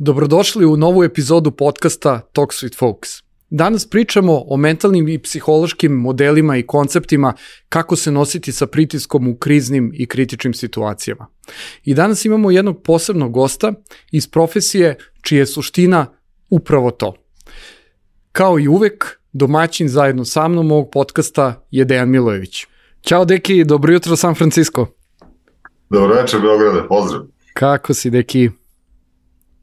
Dobrodošli u novu epizodu podcasta Talks with Folks. Danas pričamo o mentalnim i psihološkim modelima i konceptima kako se nositi sa pritiskom u kriznim i kritičnim situacijama. I danas imamo jednog posebnog gosta iz profesije čija je suština upravo to. Kao i uvek, domaćin zajedno sa mnom ovog podcasta je Dejan Milojević. Ćao Deki, dobro jutro San Francisco. Dobro večer Beograde, pozdrav. Kako si Deki?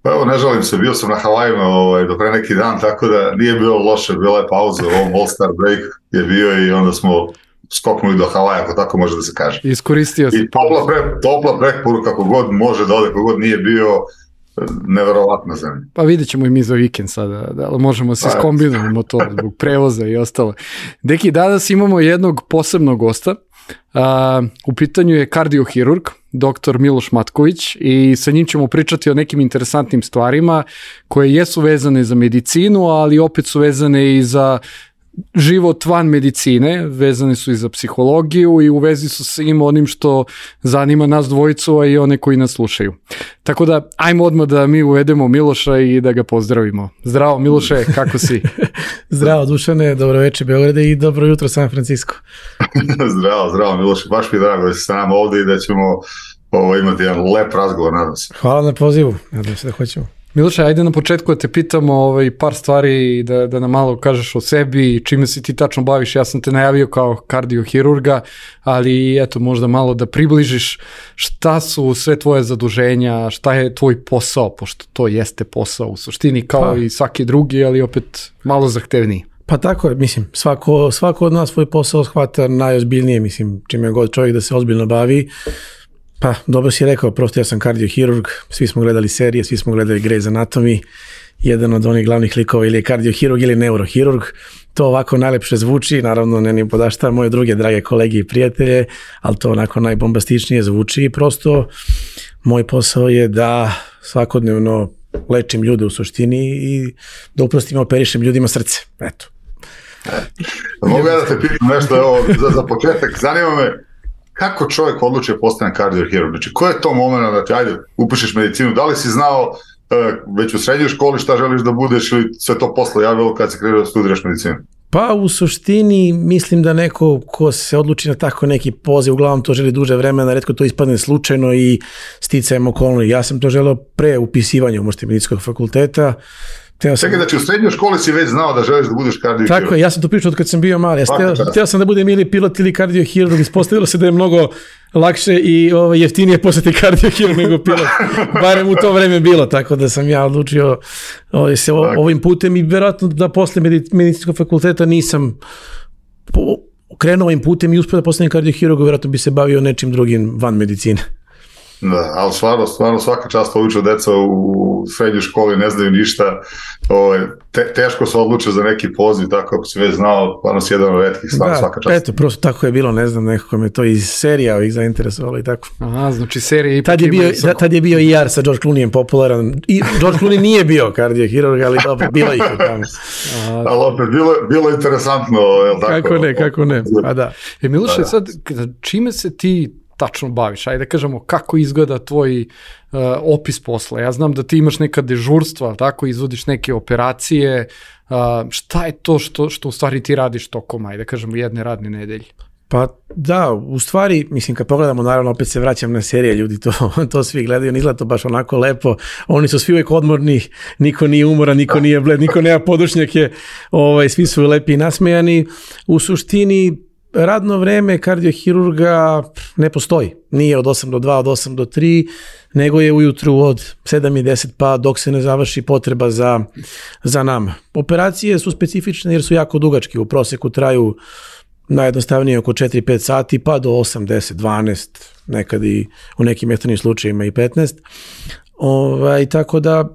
Pa evo, ne žalim se, bio sam na Havajima do pre neki dan, tako da nije bilo loše, bila je pauza, ovom All-Star break je bio i onda smo skoknuli do Havaja, ako tako može da se kaže. Iskoristio sam. I topla preporuka kako god može da ode, kako god nije bio, neverovatna zemlja. Pa vidjet ćemo i mi za vikend sada, da možemo se skombinujemo to zbog prevoza i ostalo. Deki, danas imamo jednog posebnog gosta. U pitanju je kardiohirurg, dr. Miloš Matković, i sa njim ćemo pričati o nekim interesantnim stvarima koje jesu vezane za medicinu, ali opet su vezane i za život van medicine, vezane su i za psihologiju i u vezi su sa onim što zanima nas dvojicu, a i one koji nas slušaju. Tako da, ajmo odmah da mi uvedemo Miloša i da ga pozdravimo. Zdravo Miloše, kako si? Zdravo Dušane, dobro večer Beograde i dobro jutro San Francisco. Zdravo Miloše, baš mi je drago da si sa nama ovdje i da ćemo imati jedan lep razgovor, nadam se. Hvala na pozivu, nadam se da hoćemo. Miloše, ajde na početku da te pitamo par stvari, da nam malo kažeš o sebi i čime se ti tačno baviš. Ja sam te najavio kao kardiohirurga, ali eto, možda malo da približiš šta su sve tvoje zaduženja, šta je tvoj posao, pošto to jeste posao u suštini kao i svaki drugi, ali opet malo zahtevniji. Pa tako je, mislim, svako od nas svoj posao shvata najozbiljnije, mislim, čime god čovjek da se ozbiljno bavi. Pa, dobro si rekao, prosto ja sam kardiohirurg, svi smo gledali serije, svi smo gledali Grey's Anatomy, jedan od onih glavnih likova ili je kardiohirurg ili neurohirurg, to ovako najlepše zvuči, naravno ne ni podašta moje druge drage kolege i prijatelje, ali to onako najbombastičnije zvuči i prosto moj posao je da svakodnevno lečim ljude u suštini i da uprostim operišem ljudima srce, eto. Mogu ja da te pitam nešto, za početak, zanima me, kako čovjek odluči da postane kardiohirurg? Znači, ko je to moment da ti, ajde, upišeš medicinu? Da li si znao već u srednjoj školi šta želiš da budeš ili sve to posle javilo kad si krenuo da studiraš medicinu? Pa u suštini mislim da neko ko se odluči na tako neki poziv, uglavnom to želi duže vremena, retko to ispadne slučajno i sticajem okolnosti. Ja sam to želeo pre upisivanja u medicinskog fakulteta. Čekaj, znači u srednjoj školi si već znao da želiš da budeš kardiohirurg. Tako je, ja sam to pričao od kad sam bio mali. Htio sam da budem ili pilot ili kardiohirurg, ispostavilo se da je mnogo lakše i jeftinije postati kardiohirurg nego pilot. Barem u to vreme bilo, tako da sam ja odlučio se ovim putem i vjerojatno da posle medicinskog fakulteta nisam krenuo ovim putem i uspio da postanem kardiohirurg, vjerojatno bi se bavio nečim drugim van medicine. Da, ali stvarno svaka čast obično deca u srednjoj školi ne znaju ništa, teško se odluče za neki poziv, tako ako si već znao, stvarno si jedan od retkih, stvarno svaka čast. Eto, prosto tako je bilo, ne znam, nekako me to iz serija ovih zainteresovalo i tako. Aha, znači serija ipak tad je bio i Jar sa George Clooneyem popularan, i George Clooney nije bio kardiohirurg, ali dobro, bilo ih u tamo. Ali opet, bilo interesantno, je li tako? Kako ne, pa da. Miloše, sad, čime se ti tačno baviš? Ajde da kažemo kako izgleda tvoj opis posla. Ja znam da ti imaš neka dežurstva, tako, izvodiš neke operacije. Šta je to što u stvari ti radiš tokom, ajde da kažemo, jedne radne nedelje? Pa da, u stvari, mislim, kad pogledamo, naravno, opet se vraćam na serije, ljudi to svi gledaju, ne izgleda to baš onako lepo, oni su svi uvijek odmorni, niko nije umoran, niko nije bled, niko nema podušnjake, svi su lepi i nasmejani. U suštini, radno vreme kardiohirurga ne postoji. Nije od 8 do 2, od 8 do 3, nego je ujutru od 7 i 10 pa dok se ne završi potreba za nama. Operacije su specifične jer su jako dugački. U proseku traju najjednostavnije oko 4-5 sati pa do 8, 10, 12, nekad i u nekim ekstremnim slučajevima i 15. Tako da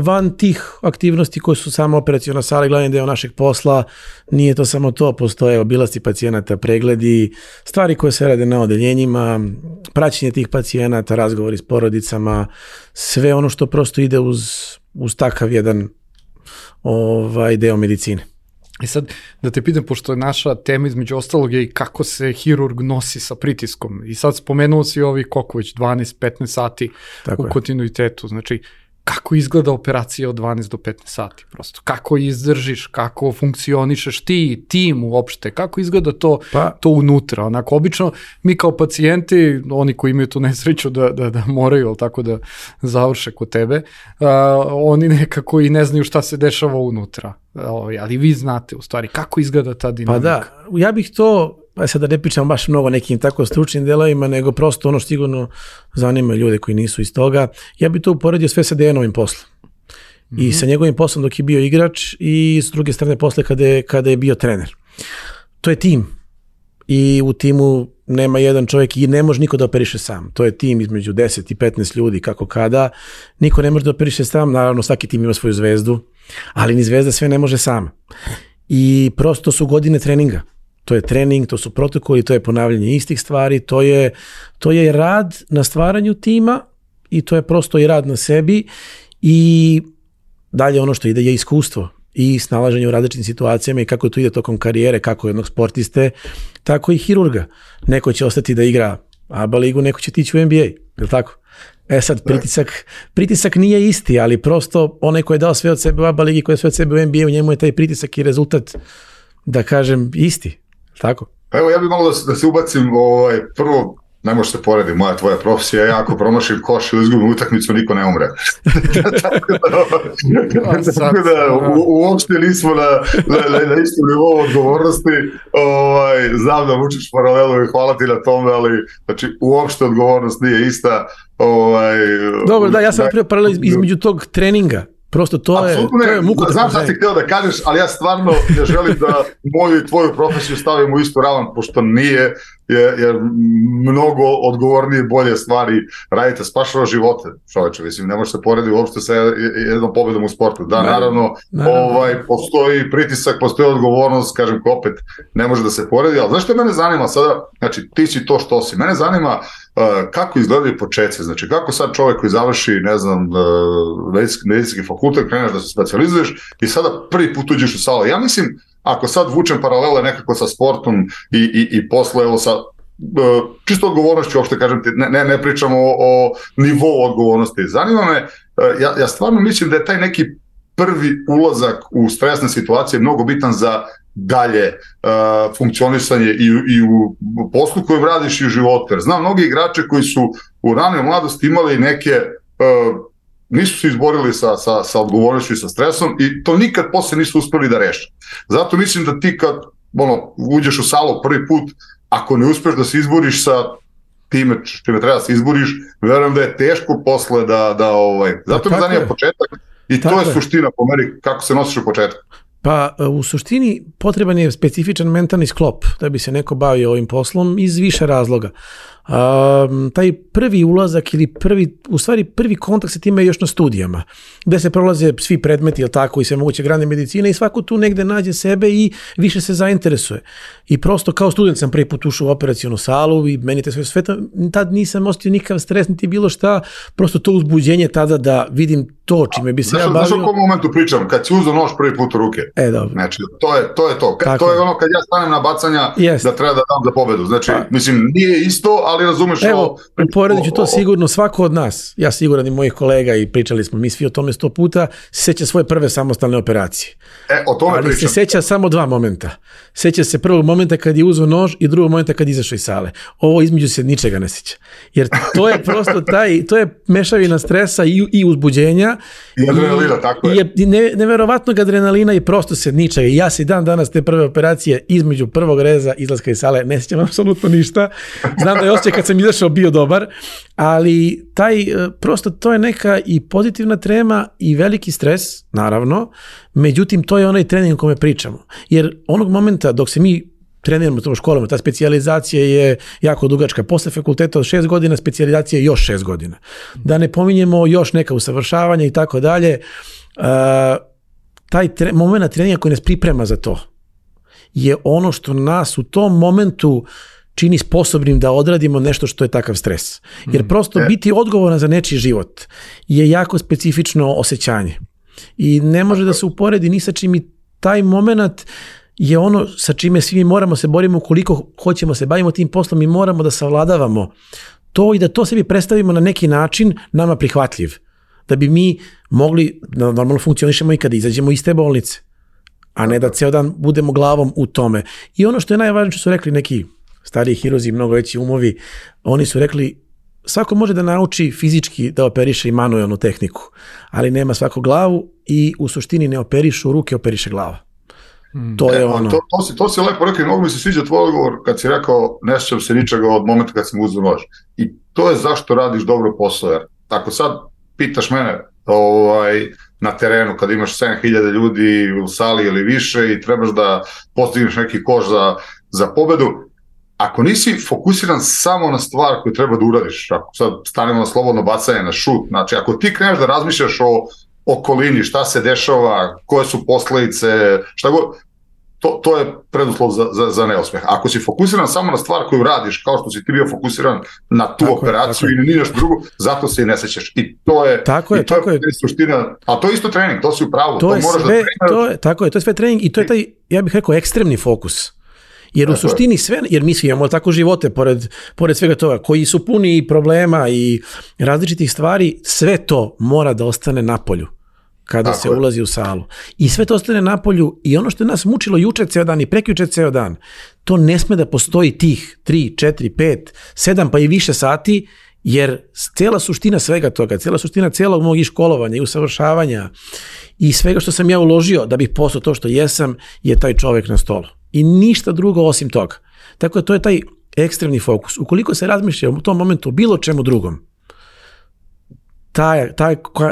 van tih aktivnosti koje su samo operaciona sala i glavni deo našeg posla, nije to samo to, postoje obilasci pacijenata, pregledi, stvari koje se rade na odeljenjima, praćenje tih pacijenata, razgovori s porodicama, sve ono što prosto ide uz takav jedan deo medicine. I sad, da te pitam, pošto je naša tema između ostalog je i kako se hirurg nosi sa pritiskom. I sad spomenuo si koliko već 12-15 sati u kontinuitetu. Znači, kako izgleda operacija od 12 do 15 sati prosto, kako izdržiš, kako funkcionišeš ti, tim uopšte, kako izgleda to unutra, onako, obično mi kao pacijenti, oni koji imaju tu nesreću da moraju, tako da završe kod tebe, oni nekako i ne znaju šta se dešava unutra, ali vi znate u stvari kako izgleda ta dinamika. Pa da, ja bih to, sad da ne pričam baš mnogo nekim tako stručnim delovima, nego prosto ono što sigurno zanima ljude koji nisu iz toga, ja bih to uporedio sve sa Dejanovim poslom. I sa njegovim poslom dok je bio igrač i s druge strane posle kada je bio trener. To je tim i u timu nema jedan čovjek i ne može niko da operiše sam. To je tim između 10 i 15 ljudi kako kada. Niko ne može da operiše sam, naravno svaki tim ima svoju zvezdu, ali ni zvezda sve ne može sama. I prosto su godine treninga. To je trening, to su protokoli, to je ponavljanje istih stvari, to je rad na stvaranju tima i to je prosto i rad na sebi i dalje ono što ide je iskustvo i snalaženje u različitim situacijama i kako to ide tokom karijere, kako jednog sportiste, tako i hirurga. Neko će ostati da igra ABA ligu, neko će tići u NBA, je li tako? Sad, pritisak nije isti, ali prosto onaj ko je dao sve od sebe u ABA ligi, ko je sve od sebe u NBA, u njemu je taj pritisak i rezultat, da kažem, isti. Tako? Evo, ja bih malo da se ubacim, prvo, ne može se poredi, moja tvoja profesija, ja ako promašim koš ili izgubim utakmicu, niko ne umre. Tako da uopšte nismo na istom nivou odgovornosti, znam da vučeš paralelu i hvala ti na tome, ali znači, uopšte odgovornost nije ista. Dobro, da, ja sam napravio paralelu između tog treninga. Prosto to je muka. Znam šta si htio da kažeš, ali ja stvarno ne želim da moju i tvoju profesiju stavim u istu ravan, pošto nije, jer mnogo odgovornije i bolje stvari radite, spašava živote, čoveče, mislim, ne može se porediti uopšte sa jednom pobedom u sportu. Da, naravno. Postoji pritisak, postoji odgovornost, kažem ko opet ne može da se poredi, ali znaš što mene zanima sada, znači ti si to što si, mene zanima kako izgledaju početci, znači kako sad čovjek koji završi, ne znam, medicinski fakultet, kreneš da se specijalizuješ i sada prvi put uđeš u salu. Ja mislim, ako sad vučem paralele nekako sa sportom i posle, evo sa čisto odgovornošću, uopšte kažem ti, ne pričamo o nivou odgovornosti. Zanima me, ja stvarno mislim da je taj neki prvi ulazak u stresne situacije mnogo bitan za dalje funkcionisanje i u poslu kojem radiš i u životu. Jer znam mnogi igrače koji su u ranoj mladosti imali neke, nisu se izborili sa odgovornošću i sa stresom i to nikad posle nisu uspeli da reše. Zato mislim da ti kad uđeš u salu prvi put, ako ne uspeš da se izboriš sa time čime treba da se izboriš, verujem da je teško posle zato me zanima početak i to je suština po meni kako se nosiš u početku. Pa u suštini potreban je specifičan mentalni sklop da bi se neko bavio ovim poslom iz više razloga. Taj prvi ulazak ili prvi kontakt sa time je još na studijama, gde se prolaze svi predmeti, jel tako, i sve moguće grane medicine i svako tu negde nađe sebe i više se zainteresuje. I prosto kao student sam prvi put ušao u operacionu salu i meni te sve tad nisam osjetio nikakav stres, niti bilo šta, prosto to uzbuđenje tada da vidim to čime bi se ja bavio. Znaš o kom momentu pričam? Kad si uzeo nož prvi put u ruke. Dobro. Znači, to je to. To je ono kad ja stanem na bacanja da treba da dam za pobedu. Znači, mislim, nije isto, ali razumeš ovo. Evo, uporedit ću to sigurno svako od nas, ja siguran i mojih kolega i pričali smo mi svi o tome 100 puta, seća svoje prve samostalne operacije. O tome ali pričam. Se seća samo dva momenta. Seća se prvog momenta kad je uzeo nož i drugog momenta kad je izašao iz sale. Ovo između se ničega ne seća. Jer to je prosto to je mešavina stresa i uzbuđenja. I adrenalina, tako je. I neverovatnog adrenalina i prosto se ničega. I ja se dan danas te prve operacije između prvog reza izlaska iz sale ne sećam apsolutno ništa. Znam da je osjećaj kad sam izašao bio dobar, ali prosto to je neka i pozitivna trema i veliki stres, naravno, međutim to je onaj trening o kome pričamo. Jer onog momenta dok se mi treniramo u školama, ta specijalizacija je jako dugačka. Posle fakulteta od 6 godina, specijalizacija je još 6 godina. Da ne pominjemo još neka usavršavanja i tako dalje. Taj moment treninga koji nas priprema za to je ono što nas u tom momentu čini sposobnim da odradimo nešto što je takav stres. Jer prosto biti odgovoran za nečiji život je jako specifično osjećanje. I ne može da se uporedi ni sa čim i taj moment je ono sa čime svi moramo se borimo ukoliko hoćemo se bavimo tim poslom i moramo da savladavamo to i da to sebi predstavimo na neki način nama prihvatljiv. da bi mi mogli da normalno funkcionišemo i kada izađemo iz te bolnice, a ne da ceo dan budemo glavom u tome. I ono što je najvažnije, što su rekli neki stariji hiruzi, mnogo veći umovi, oni su rekli svako može da nauči fizički da operiše i manuelnu tehniku, ali nema svako glavu i u suštini ne operišu ruke, operiše glava. To je ono. To si lepo rekao i mnogo mi se sviđa tvoj odgovor kad si rekao ne sjećam se ničega od momenta kad sam uzeo nož. I to je zašto radiš dobro posao. Jer ako sad pitaš mene na terenu kad imaš 7000 ljudi u sali ili više i trebaš da postigneš neki koš za pobedu, ako nisi fokusiran samo na stvar koju treba da uradiš, ako sad stanemo na slobodno bacanje, na šut, znači ako ti kreneš da razmišljaš o okolini, šta se dešava, koje su posledice, šta god, to je preduslov za neuspeh. Ako si fokusiran samo na stvar koju radiš, kao što si ti bio fokusiran na tu operaciju ili ni nešto drugo, zato se i ne sećaš. I to je suština, a to je isto trening, to si u pravu. To je sve trening i to je taj, ja bih rekao, ekstremni fokus. Jer u suštini sve, jer mi svi imamo tako živote pored svega toga, koji su puni problema i različitih stvari, sve to mora da ostane napolju kada se ulazi u salu. I sve to ostane napolju i ono što je nas mučilo juče ceo dan i prekjuče ceo dan, to ne sme da postoji tih 3, 4, 5, 7 pa i više sati, jer cijela suština svega toga, cijela suština cijelog mog školovanja i usavršavanja i svega što sam ja uložio da bih postao to što jesam, je taj čovjek na stolu. I ništa drugo osim toga. Tako da to je taj ekstremni fokus. Ukoliko se razmišlja u tom momentu o bilo čemu drugom,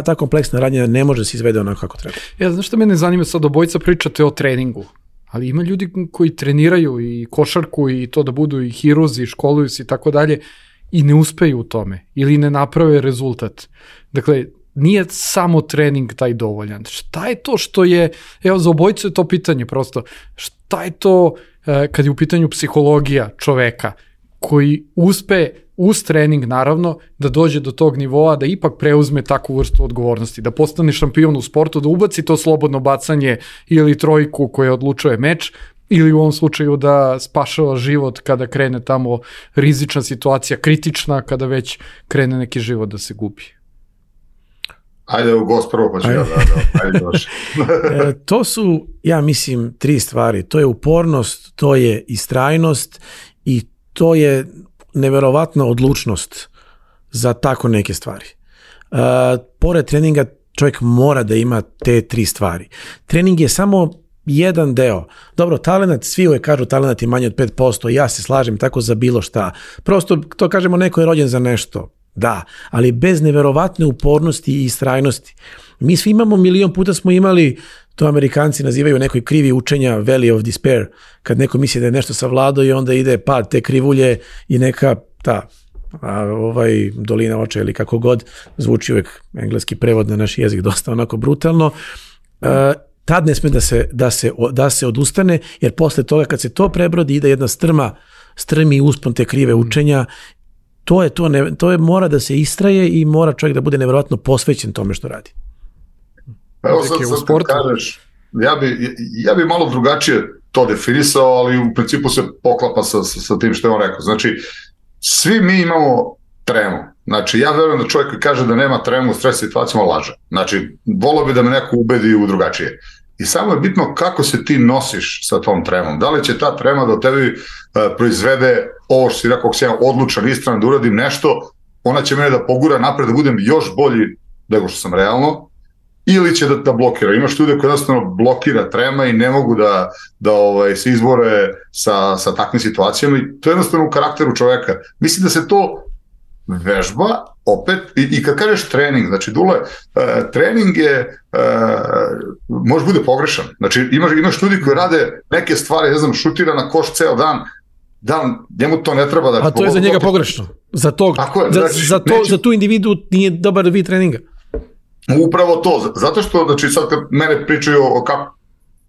ta kompleksna radnja ne može se izvede onako kako treba. Znaš što mene zanima, sad obojica pričate o treningu, ali ima ljudi koji treniraju i košarku i to da budu i hiruzi, i školuju se i tako dalje i ne uspeju u tome ili ne naprave rezultat. Dakle, nije samo trening taj dovoljan. Šta je to što je, evo za obojicu je to pitanje prosto, šta je to kad je u pitanju psihologija čoveka koji uspe uz trening naravno da dođe do tog nivoa da ipak preuzme takvu vrstu odgovornosti, da postane šampion u sportu, da ubaci to slobodno bacanje ili trojku koja odlučuje meč ili u ovom slučaju da spašava život kada krene tamo rizična situacija, kritična, kada već krene neki život da se gubi. Ajde u gost prvo pa ću ajde došli. To su, ja mislim, 3 stvari. To je upornost, to je istrajnost i to je neverovatna odlučnost za tako neke stvari. Pored treninga čovjek mora da ima te 3 stvari. Trening je samo jedan deo. Dobro, talenat, svi uvijek kažu talenat je manje od 5%, ja se slažem tako za bilo šta. Prosto to kažemo neko je rođen za nešto. Da, ali bez neverovatne upornosti i istrajnosti. Mi svi imamo, milion puta smo imali, to Amerikanci nazivaju nekoj krivi učenja, valley of despair, kad neko misli da je nešto savladao i onda ide pad te krivulje i neka dolina oča ili kako god, zvuči uvijek engleski prevod na naš jezik dosta onako brutalno. Tad ne sme da se odustane, jer posle toga kad se to prebrodi ide jedna strmi uspon te krive učenja. To je mora da se istraje i mora čovjek da bude nevjerojatno posvećen tome što radi. Evo sad kad kažeš, ja bi malo drugačije to definisao, ali u principu se poklapa sa tim što je on rekao. Znači, svi mi imamo tremu. Znači, ja verujem da čovjek koji kaže da nema tremu u stres situacijama laže. Znači, volio bi da me neko ubedi u drugačije. I samo je bitno kako se ti nosiš sa tom tremom. Da li će ta trema da tebi proizvede ovo što si rekao, ako sam ja odlučan, istran da uradim nešto, ona će mene da pogura napred, da budem još bolji nego što sam realno, ili će da blokira. Imaš ljude koji jednostavno blokira trema i ne mogu da se izbore sa takvim situacijama i to je jednostavno u karakteru čoveka. Mislim da se to vežba opet, i kad kažeš trening, znači Dule, trening je može bude pogrešan, znači imaš ljudi koji rade neke stvari, ne znam, šutira na koš ceo dan, njemu to ne treba da... A to je za njega pogrešno, za tu individu nije dobar vid treninga. Upravo to, zato što, znači sad kad mene pričaju o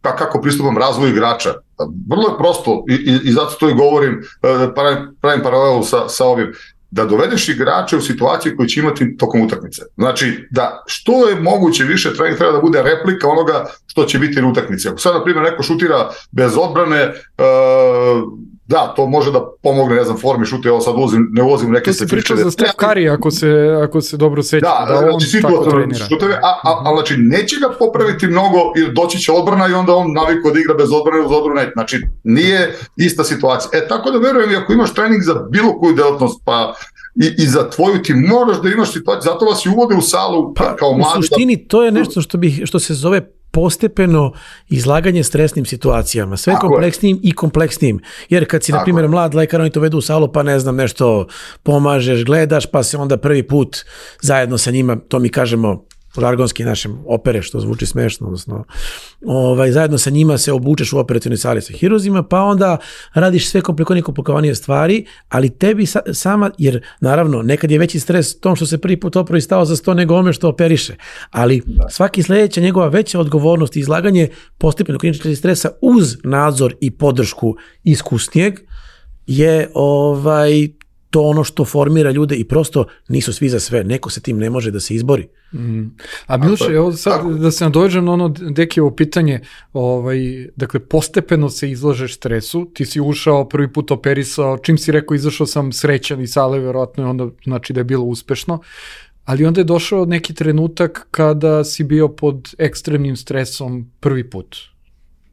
kako pristupam razvoju igrača, vrlo je prosto i zato to i govorim, pravim paralelu sa ovim, da dovedeš igrače u situaciju koju će imati tokom utakmice. Znači, da što je moguće više trening treba da bude replika onoga što će biti na utakmici. Ako sad, na primjer, neko šutira bez odbrane, da, to može da pomogne, ne znam, formi šuta, ovo sad ne ulazim u neke specifične. To si pričao za Steph Curry, ako se dobro seća, da on tako trenira. Šuteve, ali znači, neće ga popraviti mnogo, jer doći će odbrana i onda on navikao da igra bez odbrane uz odbranu net. Znači, nije ista situacija. Tako da verujem, ako imaš trening za bilo koju delatnost, pa i za tvoju ti moraš da imaš situaciju, zato vas i uvode u salu kao mladi. U suštini, to je nešto što se zove postepeno izlaganje stresnim situacijama, sve kompleksnijim i kompleksnijim. Jer kad si, na primjer, mlad lekar, oni to vedu u salu, pa ne znam, nešto pomažeš, gledaš, pa se onda prvi put zajedno sa njima, to mi kažemo žargonski našem opere, što zvuči smešno, odnosno zajedno sa njima se obučeš u operacionoj sali sa hiruzima, pa onda radiš sve komplikovanije stvari, ali tebi sama, jer naravno nekad je veći stres tom što se prvi put opravi stao za 100 nego ome što operiše, ali svaki sljedeća njegova veća odgovornost i izlaganje postepeno kliničkog stresa uz nadzor i podršku iskusnijeg je to ono što formira ljude i prosto nisu svi za sve. Neko se tim ne može da se izbori. A Miloše, evo sad da se nadođem na ono Dekijevo pitanje, dakle, postepeno se izlažeš stresu, ti si ušao, prvi put operisao, čim si rekao izašao sam srećan iz sale, verovatno je onda znači da je bilo uspešno, ali onda je došao neki trenutak kada si bio pod ekstremnim stresom prvi put.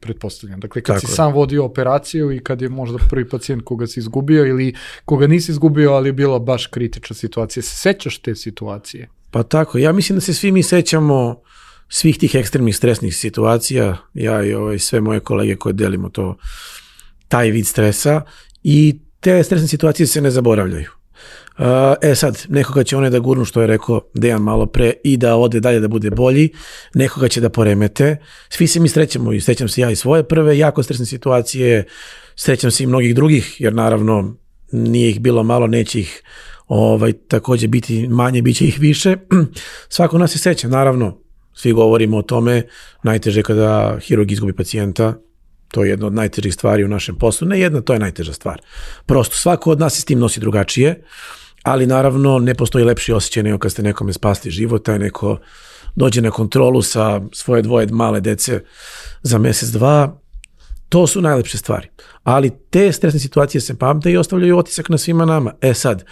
Pretpostavljam. Dakle, kad si sam vodio operaciju i kad je možda prvi pacijent koga si izgubio ili koga nisi izgubio, ali je bila baš kritična situacija. Se sećaš te situacije? Pa tako, ja mislim da se svi mi sećamo svih tih ekstremnih stresnih situacija, ja i sve moje kolege koje delimo taj vid stresa i te stresne situacije se ne zaboravljaju. Sad, nekoga će one da gurnu, što je rekao Dejan malo pre, i da ode dalje da bude bolji, nekoga će da poremete. Svi se mi srećemo i srećam se ja i svoje prve jako stresne situacije, srećam se i mnogih drugih, jer naravno nije ih bilo malo, neće ih također biti manje, bit će ih više. Svako nas se sreća, naravno, svi govorimo o tome, najteže kada hirurg izgubi pacijenta. To je jedna od najtežih stvari u našem poslu. Ne jedna, to je najteža stvar. Prosto, svako od nas se s tim nosi drugačije, ali naravno ne postoji lepši osjećaj nego kad ste nekome spasli život, taj neko dođe na kontrolu sa svoje 2 male dece za mjesec, 2. To su najlepše stvari. Ali te stresne situacije se pamte i ostavljaju otisak na svima nama. Sad,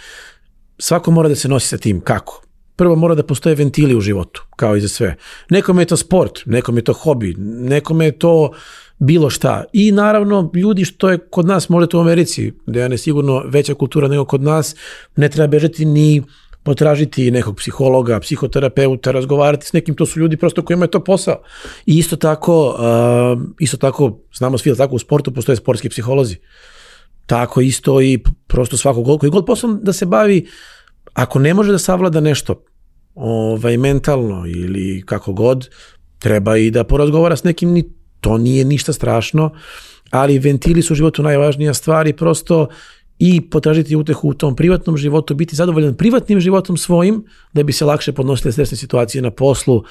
svako mora da se nosi sa tim. Kako? Prvo mora da postoje ventili u životu, kao i za sve. Nekome je to sport, nekome je to hobi, nekome je to bilo šta. I naravno, ljudi što je kod nas, možda u Americi, gdje je sigurno veća kultura nego kod nas, ne treba bežati ni potražiti nekog psihologa, psihoterapeuta, razgovarati s nekim, to su ljudi prosto kojima je to posao. I isto tako, znamo svi da tako u sportu postoje sportski psiholozi. Tako isto i prosto svako koji god poslom da se bavi, ako ne može da savlada nešto mentalno ili kako god, treba i da porazgovara s nekim, to nije ništa strašno, ali ventili su u životu najvažnija stvar i prosto i potražiti utehu u tom privatnom životu, biti zadovoljan privatnim životom svojim, da bi se lakše podnosile stresne situacije na poslu.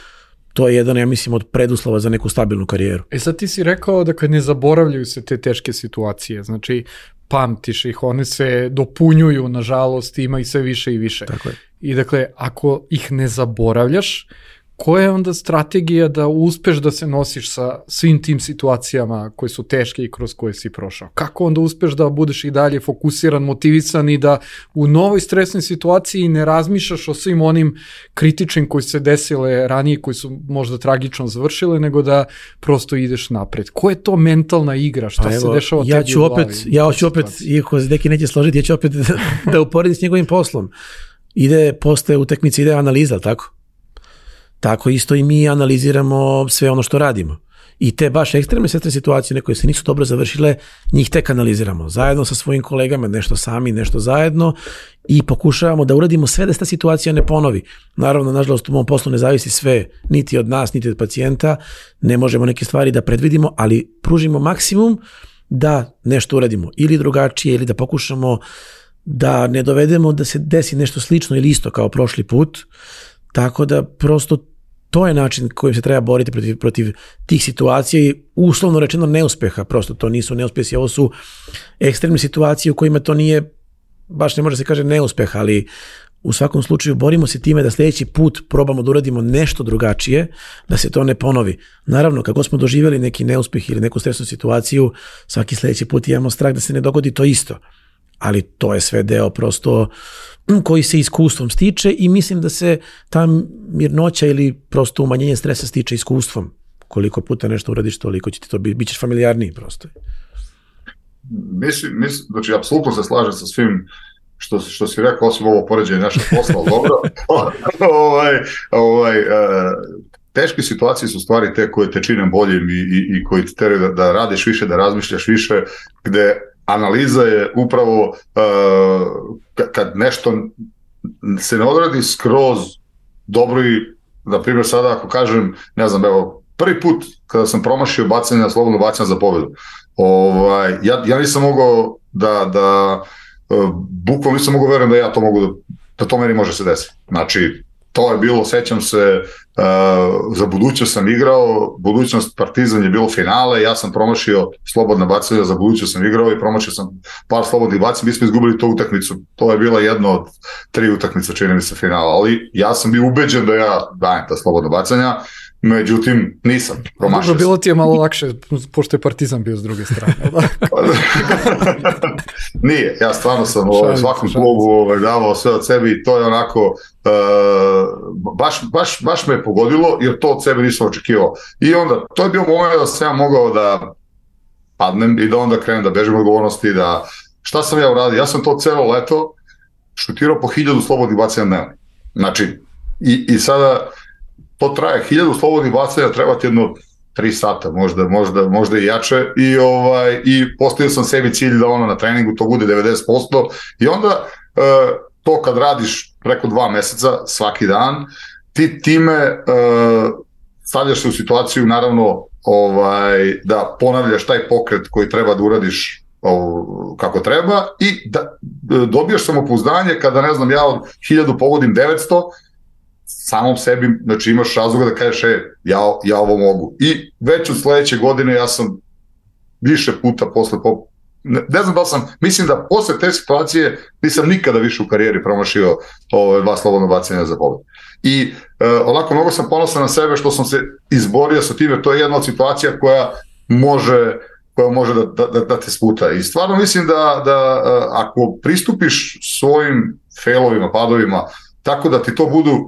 To je jedan, ja mislim, od preduslova za neku stabilnu karijeru. Sad ti si rekao da kad ne zaboravljaju se te teške situacije, znači pamtiš ih, one se dopunjuju, nažalost, ima i sve više i više. Tako je. I dakle, ako ih ne zaboravljaš, koja je onda strategija da uspeš da se nosiš sa svim tim situacijama koje su teške i kroz koje si prošao? Kako onda uspeš da budeš i dalje fokusiran, motivisan i da u novoj stresnoj situaciji ne razmišljaš o svim onim kritičnim koji se desile ranije, koji su možda tragično završile, nego da prosto ideš napred? Koja je to mentalna igra? Šta se dešava tebi u glavi? Ja ću opet, iako se neki neće složiti, ja ću opet da uporedim s njegovim poslom. Posle utakmice ide analiza, tako? Tako isto i mi analiziramo sve ono što radimo. I te baš ekstremne stresne situacije, koje se nisu dobro završile, njih tek analiziramo. Zajedno sa svojim kolegama, nešto sami, nešto zajedno i pokušavamo da uradimo sve da se ta situacija ne ponovi. Naravno, nažalost, u mom poslu ne zavisi sve, niti od nas, niti od pacijenta. Ne možemo neke stvari da predvidimo, ali pružimo maksimum da nešto uradimo ili drugačije, ili da pokušamo da ne dovedemo da se desi nešto slično ili isto kao prošli put. Tako da prosto to je način kojim se treba boriti protiv tih situacija i uslovno rečeno neuspeha. Prosto to nisu neuspjesi, ovo su ekstremne situacije u kojima to nije, baš ne može se kaže neuspeh, ali u svakom slučaju borimo se time da sljedeći put probamo da uradimo nešto drugačije, da se to ne ponovi. Naravno, kako smo doživjeli neki neuspjeh ili neku stresnu situaciju, svaki sljedeći put imamo strah da se ne dogodi to isto. Ali to je sve deo prosto koji se iskustvom stiče i mislim da se ta mirnoća ili prosto umanjenje stresa stiče iskustvom. Koliko puta nešto uradiš, toliko će ti to bit ćeš familijarniji prosto. Mislim, znači, apsolutno se slažem sa svim što si rekao, osim ovo poređenje našeg posla, dobro. Teške situacije su stvari te koje te čine boljim i koji te teraju da radiš više, da razmišljaš više, gde analiza je upravo kad nešto se ne odradi skroz dobro i, na primjer, sada ako kažem, ne znam, evo, prvi put kada sam promašio bacanje na slobodno bacanje za pobedu, ja nisam mogao da bukvalno nisam mogao verujem da ja to mogu da to meni može se desiti. Znači, to je bilo, sećam se, za budućnost sam igrao, budućnost Partizan je bilo finale, ja sam promašio slobodna bacanja, za budućnost sam igrao i promašio sam par slobodnih bacanja, mi smo izgubili tu utakmicu, to je bila jedna od 3 utakmice, čini mi se, finala, ali ja sam bio ubeđen da ja dajem ta slobodna bacanja, međutim nisam, promašio sam. Bilo ti je malo lakše, pošto je Partizan bio s druge strane. Nije, ja stvarno sam u svakom klubu davao sve od sebe i to je onako, baš me je pogodilo, jer to od sebe nisam očekivao. I onda, to je bio moment da sam ja mogao da padnem i da onda krenem da bežim odgovornosti, da šta sam ja uradio? Ja sam to celo leto šutirao po 1000 slobodnih bacanja dnevno. Znači, i sada to traje, 1000 slobodnih bacanja, treba ti jedno 3 sata, možda i jače, i postavio sam sebi cilj da na treningu to bude 90%, i onda to kad radiš preko 2 meseca svaki dan, ti time stavljaš se u situaciju, naravno, da ponavljaš taj pokret koji treba da uradiš kako treba i da dobijaš samopouzdanje kada, ne znam, ja od 1000 pogodim 900, samom sebi, znači imaš razloga da kažeš ja ovo mogu. I već od sledeće godine ja sam više puta ne znam da sam, mislim da posle te situacije nisam nikada više u karijeri promašio 2 slobodna bacanja za pobedu. I onako mnogo sam ponosan na sebe što sam se izborio sa time, to je jedna od situacija koja može da te sputa. I stvarno mislim da ako pristupiš svojim failovima, padovima, tako da ti to budu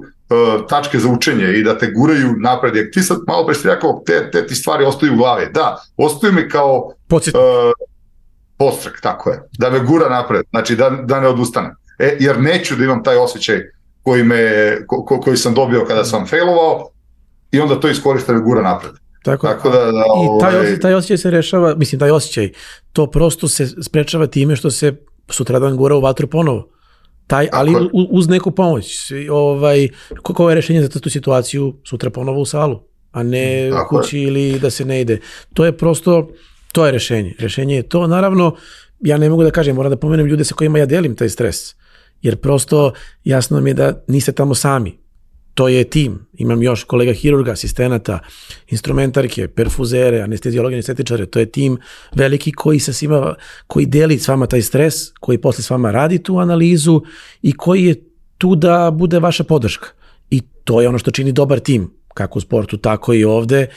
tačke za učenje i da te guraju napred, jer ti sad malo pre si rekao, te ti stvari ostaju u glavi. Da, ostaju mi kao podstrek, tako je, da me gura napred, znači da ne odustane. Jer neću da imam taj osjećaj koji sam dobio kada sam failovao i onda to iskoristi da me gura napred. Tako da i taj osjećaj se rešava, mislim, taj osjećaj, to prosto se sprečava time što se sutradan gura u vatru ponovo. Ali uz neku pomoć. Koje je rešenje za tu situaciju? Sutra ponovo u salu, a ne kući ili da se ne ide. To je prosto, to je rešenje. Rešenje je to. Naravno, ja ne mogu da kažem, moram da pomenem ljude sa kojima ja delim taj stres. Jer prosto jasno mi je da niste tamo sami. To je tim. Imam još kolega hirurga, asistenata, instrumentarke, perfuzere, anestezijologe, anestetičare. To je tim veliki koji deli s vama taj stres, koji posle s vama radi tu analizu i koji je tu da bude vaša podrška. I to je ono što čini dobar tim, kako u sportu, tako i ovde.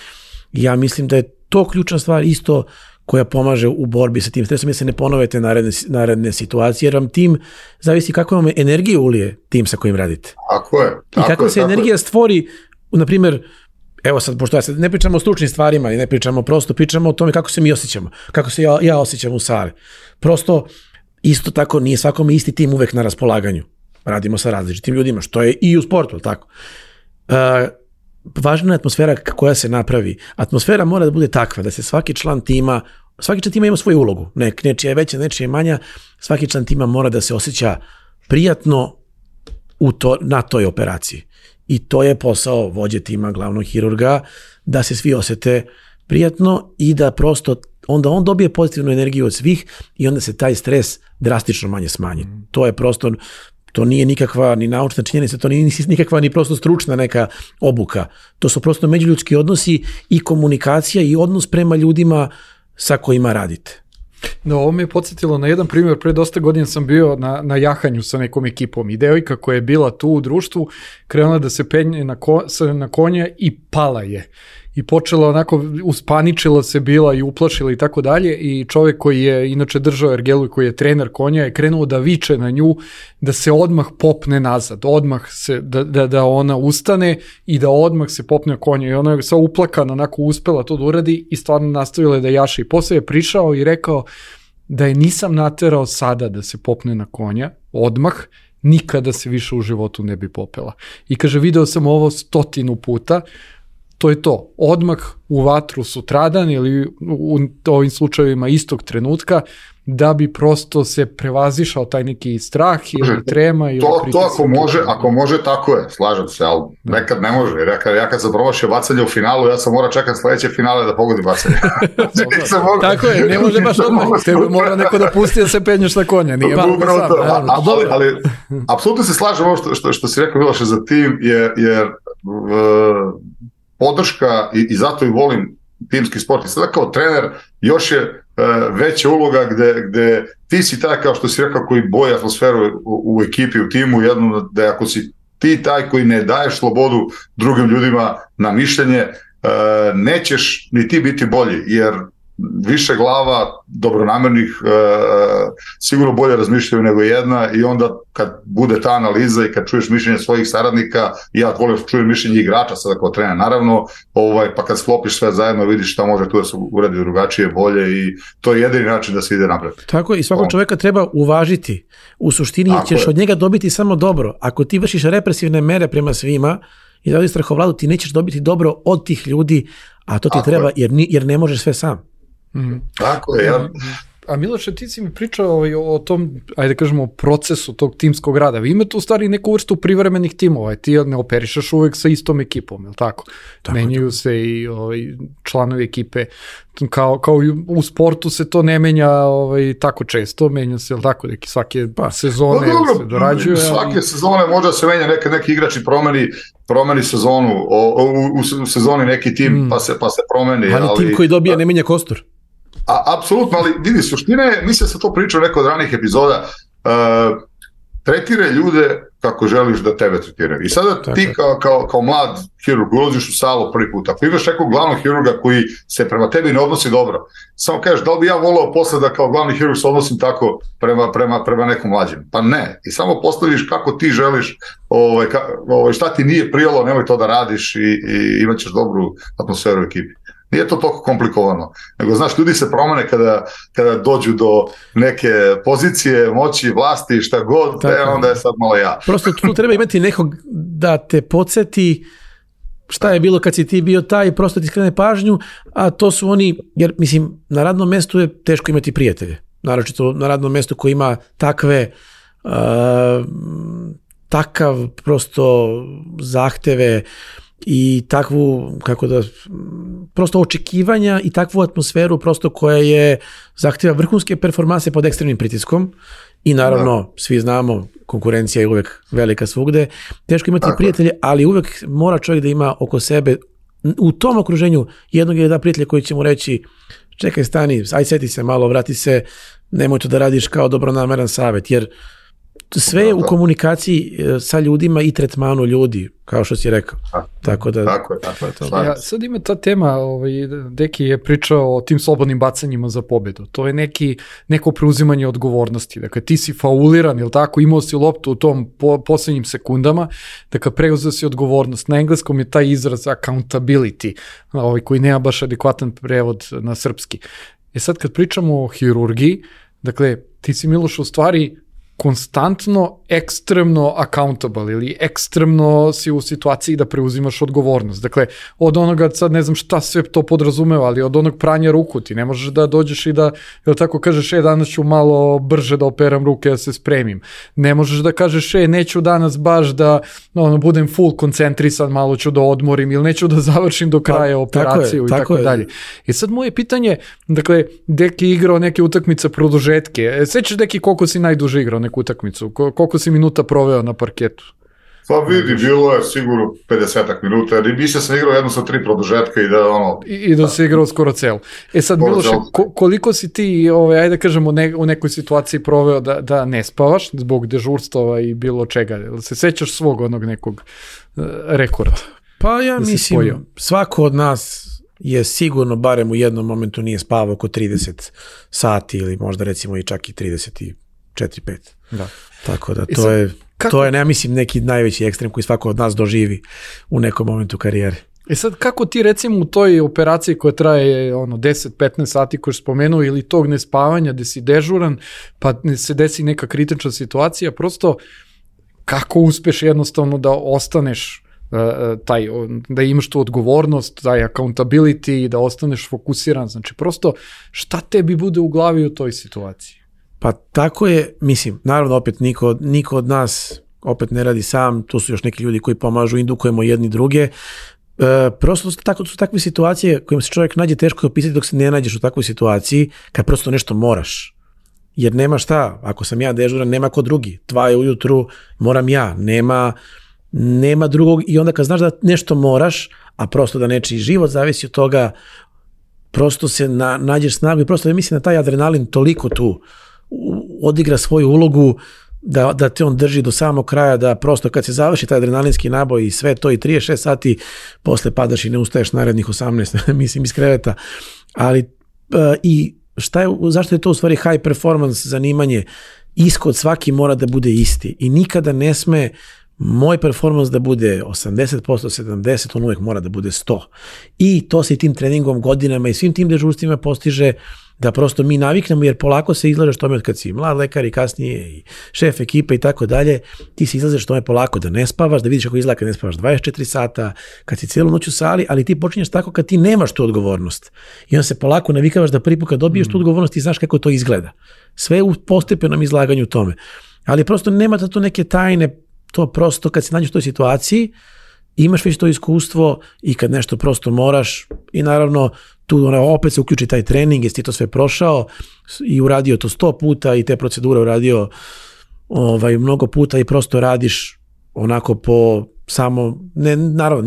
Ja mislim da je to ključna stvar isto koja pomaže u borbi sa tim stresom, jer se ne ponovete naredne situacije, jer vam tim zavisi kako vam energiju ulije tim sa kojim radite. Tako je. I kako se energija stvori, na primjer, evo sad, pošto ne pričamo o stručnim stvarima i ne pričamo, prosto pričamo o tome kako se mi osjećamo, kako se ja osjećam u sali. Prosto, isto tako, nije svakome isti tim uvek na raspolaganju. Radimo sa različitim ljudima, što je i u sportu, tako. Važna je atmosfera koja se napravi. Atmosfera mora da bude takva da se svaki član tima ima svoju ulogu. Nečija je veća, nečija je manja. Svaki član tima mora da se osjeća prijatno na toj operaciji. I to je posao vođe tima, glavnog hirurga, da se svi osete prijatno i da prosto onda on dobije pozitivnu energiju od svih i onda se taj stres drastično manje smanji. To je prosto, to nije nikakva ni naučna činjenica, to nije nikakva ni prosto stručna neka obuka. To su prosto međuljudski odnosi i komunikacija i odnos prema ljudima sa kojima radite. No, ovo me je podsjetilo na jedan primjer, pre dosta godina sam bio na jahanju sa nekom ekipom i devojka koja je bila tu u društvu krenula da se penje na konja i pala je. I počela onako, uspaničila se bila i uplašila i tako dalje i čovjek koji je inače držao ergelu i koji je trener konja je krenuo da viče na nju da se odmah popne nazad, odmah se, da ona ustane i da odmah se popne konja i ona je sva uplakana onako uspela to da uradi i stvarno nastavila da jaše i posle je prišao i rekao da je nisam naterao sada da se popne na konja, odmah, nikada se više u životu ne bi popela. I kaže, video sam ovo 100 puta, to je to, odmah u vatru sutradan ili u ovim slučajevima istog trenutka, da bi prosto se prevazišao taj neki strah ili trema. Ili to ako može, tako je, slažem se, ali nekad ne može. Ja kad sam promašio bacanje u finalu, ja sam mora čekati sledeće finale da pogodim bacanje. Tako je, ne može baš odmah. Tebe mora neko da pusti da se penješ na konja. Nije ali apsolutno se slažem ovo što si rekao, Miloše, za tim, jer podrška i zato i volim timski sport. I sada kao trener još je veća uloga gde ti si taj, kao što si rekao, koji boji atmosferu u ekipi, u timu, jedno da ako si ti taj koji ne daješ slobodu drugim ljudima na mišljenje, nećeš ni ti biti bolji, jer više glava dobronamernih sigurno bolje razmišljaju nego jedna i onda kad bude ta analiza i kad čuješ mišljenje svojih saradnika, ja volim čujem mišljenje igrača sada kao trener, naravno, pa kad sklopiš sve zajedno vidiš šta može tu da se uradi drugačije, bolje i to je jedini način da se ide napred. Tako je, i svakog čoveka treba uvažiti. U suštini ćeš od njega dobiti samo dobro. Ako ti vršiš represivne mere prema svima i da strahovladu, ti nećeš dobiti dobro od tih ljudi, a to ti treba jer ne možeš sve sam. Tako je, ja. A Miloše, ti si mi pričao o tom, ajde kažemo, procesu tog timskog rada. Vi imate u stvari neku vrstu privremenih timova, ti ne operišaš uvek sa istom ekipom, je li tako? Menjaju se i članovi ekipe. Kao u sportu se to ne menja tako često, menja se, je li tako, svake sezone se dorađuje. Svake sezone može se menja, neki igrači promeni sezonu, u sezoni neki tim pa se promeni. Ali tim koji dobija ne menja kostur. Apsolutno, ali vidi, suština je, mislim da sam to pričao neko od ranih epizoda, tretiraj ljude kako želiš da tebe tretiraju. I sada ti kao mlad hirurg ulaziš u salu prvi put, ako imaš nekog glavnog hirurga koji se prema tebi ne odnosi dobro, samo kažeš da li bi ja volao posle da kao glavni hirurg se odnosim tako prema nekom mlađem? Pa ne. I samo postaviš kako ti želiš, šta ti nije prijelo, nemoj to da radiš i imat ćeš dobru atmosferu u ekipi. Nije to toliko komplikovano, nego znaš, ljudi se promene kada dođu do neke pozicije, moći, vlasti, šta god, onda je sad malo ja. Prosto tu treba imati nekog da te podsjeti šta je bilo kad si ti bio taj, prosto ti skrene pažnju, a to su oni, jer mislim, na radnom mestu je teško imati prijatelje. Naročito na radnom mestu koji ima takav prosto zahteve i takvu, prosto očekivanja i takvu atmosferu prosto koja je zahtjeva vrhunske performanse pod ekstremnim pritiskom i naravno svi znamo, konkurencija je uvek velika svugde, teško imati prijatelje, ali uvek mora čovjek da ima oko sebe u tom okruženju jednog ili dva prijatelja koji će mu reći čekaj, stani, aj seti se malo, vrati se, nemoj to da radiš kao dobronameran savjet, jer sve je u komunikaciji sa ljudima i tretmanu ljudi, kao što si rekao. Tako je to. Ja, sad ima ta tema, Deki je pričao o tim slobodnim bacanjima za pobedu. To je neko preuzimanje odgovornosti. Dakle, ti si fauliran, ili tako, imao si loptu u tom posljednjim sekundama, dakle, preuzeo si odgovornost. Na engleskom je taj izraz accountability, koji nema baš adekvatan prevod na srpski. Sad kad pričamo o hirurgiji, dakle, ti si, Miloš, u stvari konstantno, ekstremno accountable ili ekstremno si u situaciji da preuzimaš odgovornost. Dakle, od onoga, sad ne znam šta sve to podrazumeva, ali od onog pranja ruku ti ne možeš da dođeš i da, jel tako kažeš, danas ću malo brže da operam ruke, da se spremim. Ne možeš da kažeš, neću danas baš da budem full koncentrisan, malo ću da odmorim ili neću da završim do kraja operaciju i tako dalje. I sad moje pitanje, dakle, Deki igrao neke utakmice produžetke. Sećaš, Deki, koliko si najduže igrao neku utakmicu? Koliko si minuta proveo na parketu? Pa vidi, bilo je sigurno 50 minuta, jer mislim sam igrao jedno sa 3 produžetka i da ono... I da se igrao skoro celo. Sad, Miloše, koliko si ti, ajde da kažemo, u nekoj situaciji proveo da ne spavaš zbog dežurstava i bilo čega? Se sećaš svog onog nekog rekorda? Pa ja mislim, svako od nas je sigurno barem u jednom momentu nije spavao oko 30 sati ili možda recimo i čak i 34-5. Da. Tako da to je, ne mislim, neki najveći ekstrem koji svako od nas doživi u nekom momentu karijere. Sad, kako ti recimo u toj operaciji koja traje 10-15 sati koju si spomenuo ili tog nespavanja gde si dežuran pa se desi neka kritična situacija, prosto kako uspeš jednostavno da ostaneš da imaš tu odgovornost, taj accountability, da ostaneš fokusiran, znači prosto šta tebi bude u glavi u toj situaciji? Pa tako je, mislim, naravno opet niko od nas opet ne radi sam, tu su još neki ljudi koji pomažu, indukujemo jedni druge, prosto su takve situacije kojima se čovjek nađe teško opisati dok se ne nađeš u takvoj situaciji, kad prosto nešto moraš. Jer nema šta, ako sam ja dežuran, nema ko drugi, 2 je ujutru, moram ja, nema drugog i onda kad znaš da nešto moraš, a prosto da nečiji život zavisi od toga, prosto se nađeš snagu i prosto mislim da taj adrenalin toliko tu odigra svoju ulogu da te on drži do samog kraja, da prosto kad se završi taj adrenalinski naboj i sve to i 36 sati, posle padaš i ne ustaješ narednih 18, mislim iz kreveta. Ali i zašto je to u stvari high performance zanimanje? Ishod svaki mora da bude isti i nikada ne sme moj performans da bude 80%, 70%, on uvijek mora da bude 100%. I to se i tim treningom godinama i svim tim dežurstvima postiže da prosto mi naviknemo, jer polako se izlažeš tome od kad si mlad lekar i kasnije i šef ekipe i tako dalje, ti se izlažeš tome polako da ne spavaš, da vidiš kako izgleda kad ne spavaš 24 sata, kad si cijelu noć u sali, ali ti počinješ tako kad ti nemaš tu odgovornost. I onda se polako navikavaš da prvi put kad dobiješ tu odgovornost i znaš kako to izgleda. Sve u postepenom izlaganju tome. Ali prosto nema tu neke tajne, to prosto kad se nađeš u toj situaciji, imaš već to iskustvo i kad nešto prosto moraš i naravno tu opet se uključi taj trening, jesi ti to sve prošao i uradio to 100 puta i te procedure uradio mnogo puta i prosto radiš onako po samo, ne, naravno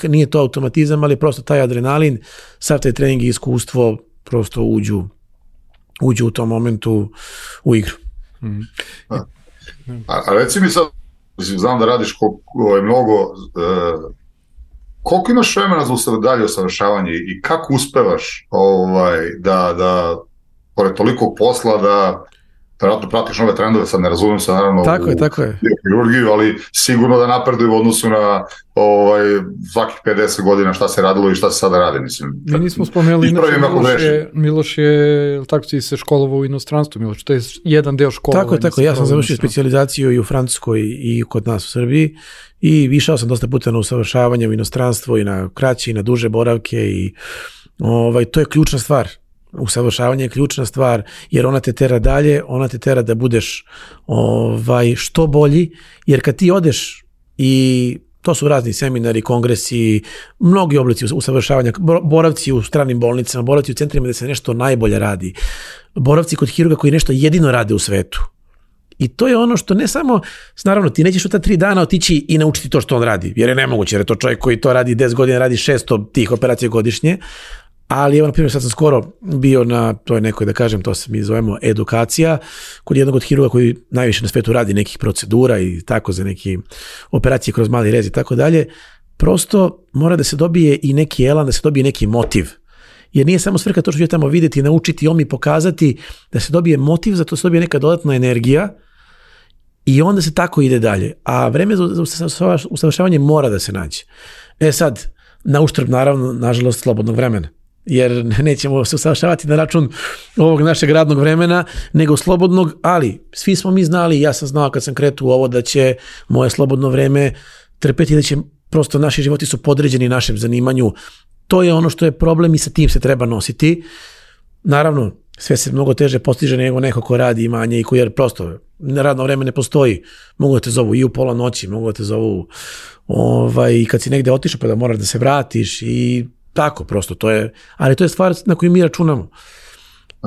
nije to automatizam, ali prosto taj adrenalin, sav taj trening i iskustvo prosto uđu u tom momentu u igru. A reci mi sad, znam da radiš mnogo, koliko imaš vremena za dalje usavršavanje i kako uspevaš da pored tolikog posla da vjerojatno pratiš nove trendove, sad ne razumijem se naravno tako je. Kirurgiju, ali sigurno da napreduju u odnosu na svakih 50 godina šta se radilo i šta se sada radi, mislim. Mi nismo spomenuli, Miloš je, tako ti se školovao u inostranstvu, Miloš, to je jedan deo školovanja. Tako, ja sam završio specijalizaciju i u Francuskoj i kod nas u Srbiji i išao sam dosta puta na usavršavanje u inostranstvo i na kraće i na duže boravke i to je ključna stvar. Usavršavanje je ključna stvar jer ona te tera dalje, ona te tera da budeš što bolji, jer kad ti odeš i to su razni seminari, kongresi, mnogi oblici usavršavanja, boravci u stranim bolnicama, boravci u centrima gde se nešto najbolje radi, boravci kod hirurga koji nešto jedino rade u svetu. I to je ono što ne samo, naravno ti nećeš u ta 3 dana otići i naučiti to što on radi, jer je nemoguće, jer je to čovjek koji to radi 10 godina, radi 600 tih operacija godišnje. Ali evo, na primjer, sad sam skoro bio na toj nekoj, da kažem, to se mi zovemo edukacija, kod jednog od hirurga koji najviše na svetu radi nekih procedura i tako za neke operacije kroz mali rez i tako dalje. Prosto mora da se dobije i neki elan, da se dobije neki motiv. Jer nije samo svrha to što ću tamo vidjeti, naučiti, on mi pokazati, da se dobije motiv, zato se dobije neka dodatna energija i onda se tako ide dalje. A vreme za usavršavanje mora da se nađe. Sad, na uštrb, naravno, nažalost, slobodnog vremena. Jer nećemo se usavršavati na račun ovog našeg radnog vremena, nego slobodnog, ali svi smo mi znali, ja sam znao kad sam kretuo u ovo da će moje slobodno vreme trpeti, da će prosto naši životi su podređeni našem zanimanju. To je ono što je problem i sa tim se treba nositi. Naravno, sve se mnogo teže postiže nego neko ko radi i manje i koji jer prosto radno vreme ne postoji. Mogu da te zovu i u pola noći, mogu da te zovu i kad si negde otišao pa da moraš da se vratiš i tako, prosto to je, ali to je stvar na koju mi računamo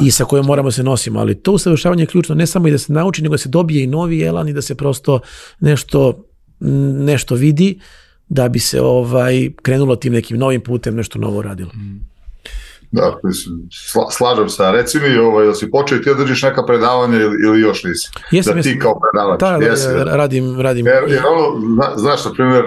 i sa kojom moramo se nosimo, ali to usavršavanje je ključno, ne samo i da se nauči, nego da se dobije i novi elan i da se prosto nešto nešto vidi da bi se krenulo tim nekim novim putem, nešto novo radilo. Da, slažem se. Reci mi, da si počeo i ti držiš neka predavanja ili još nisi? Jesam, ti kao predavač. Da, radim. Jer znaš, na primjer,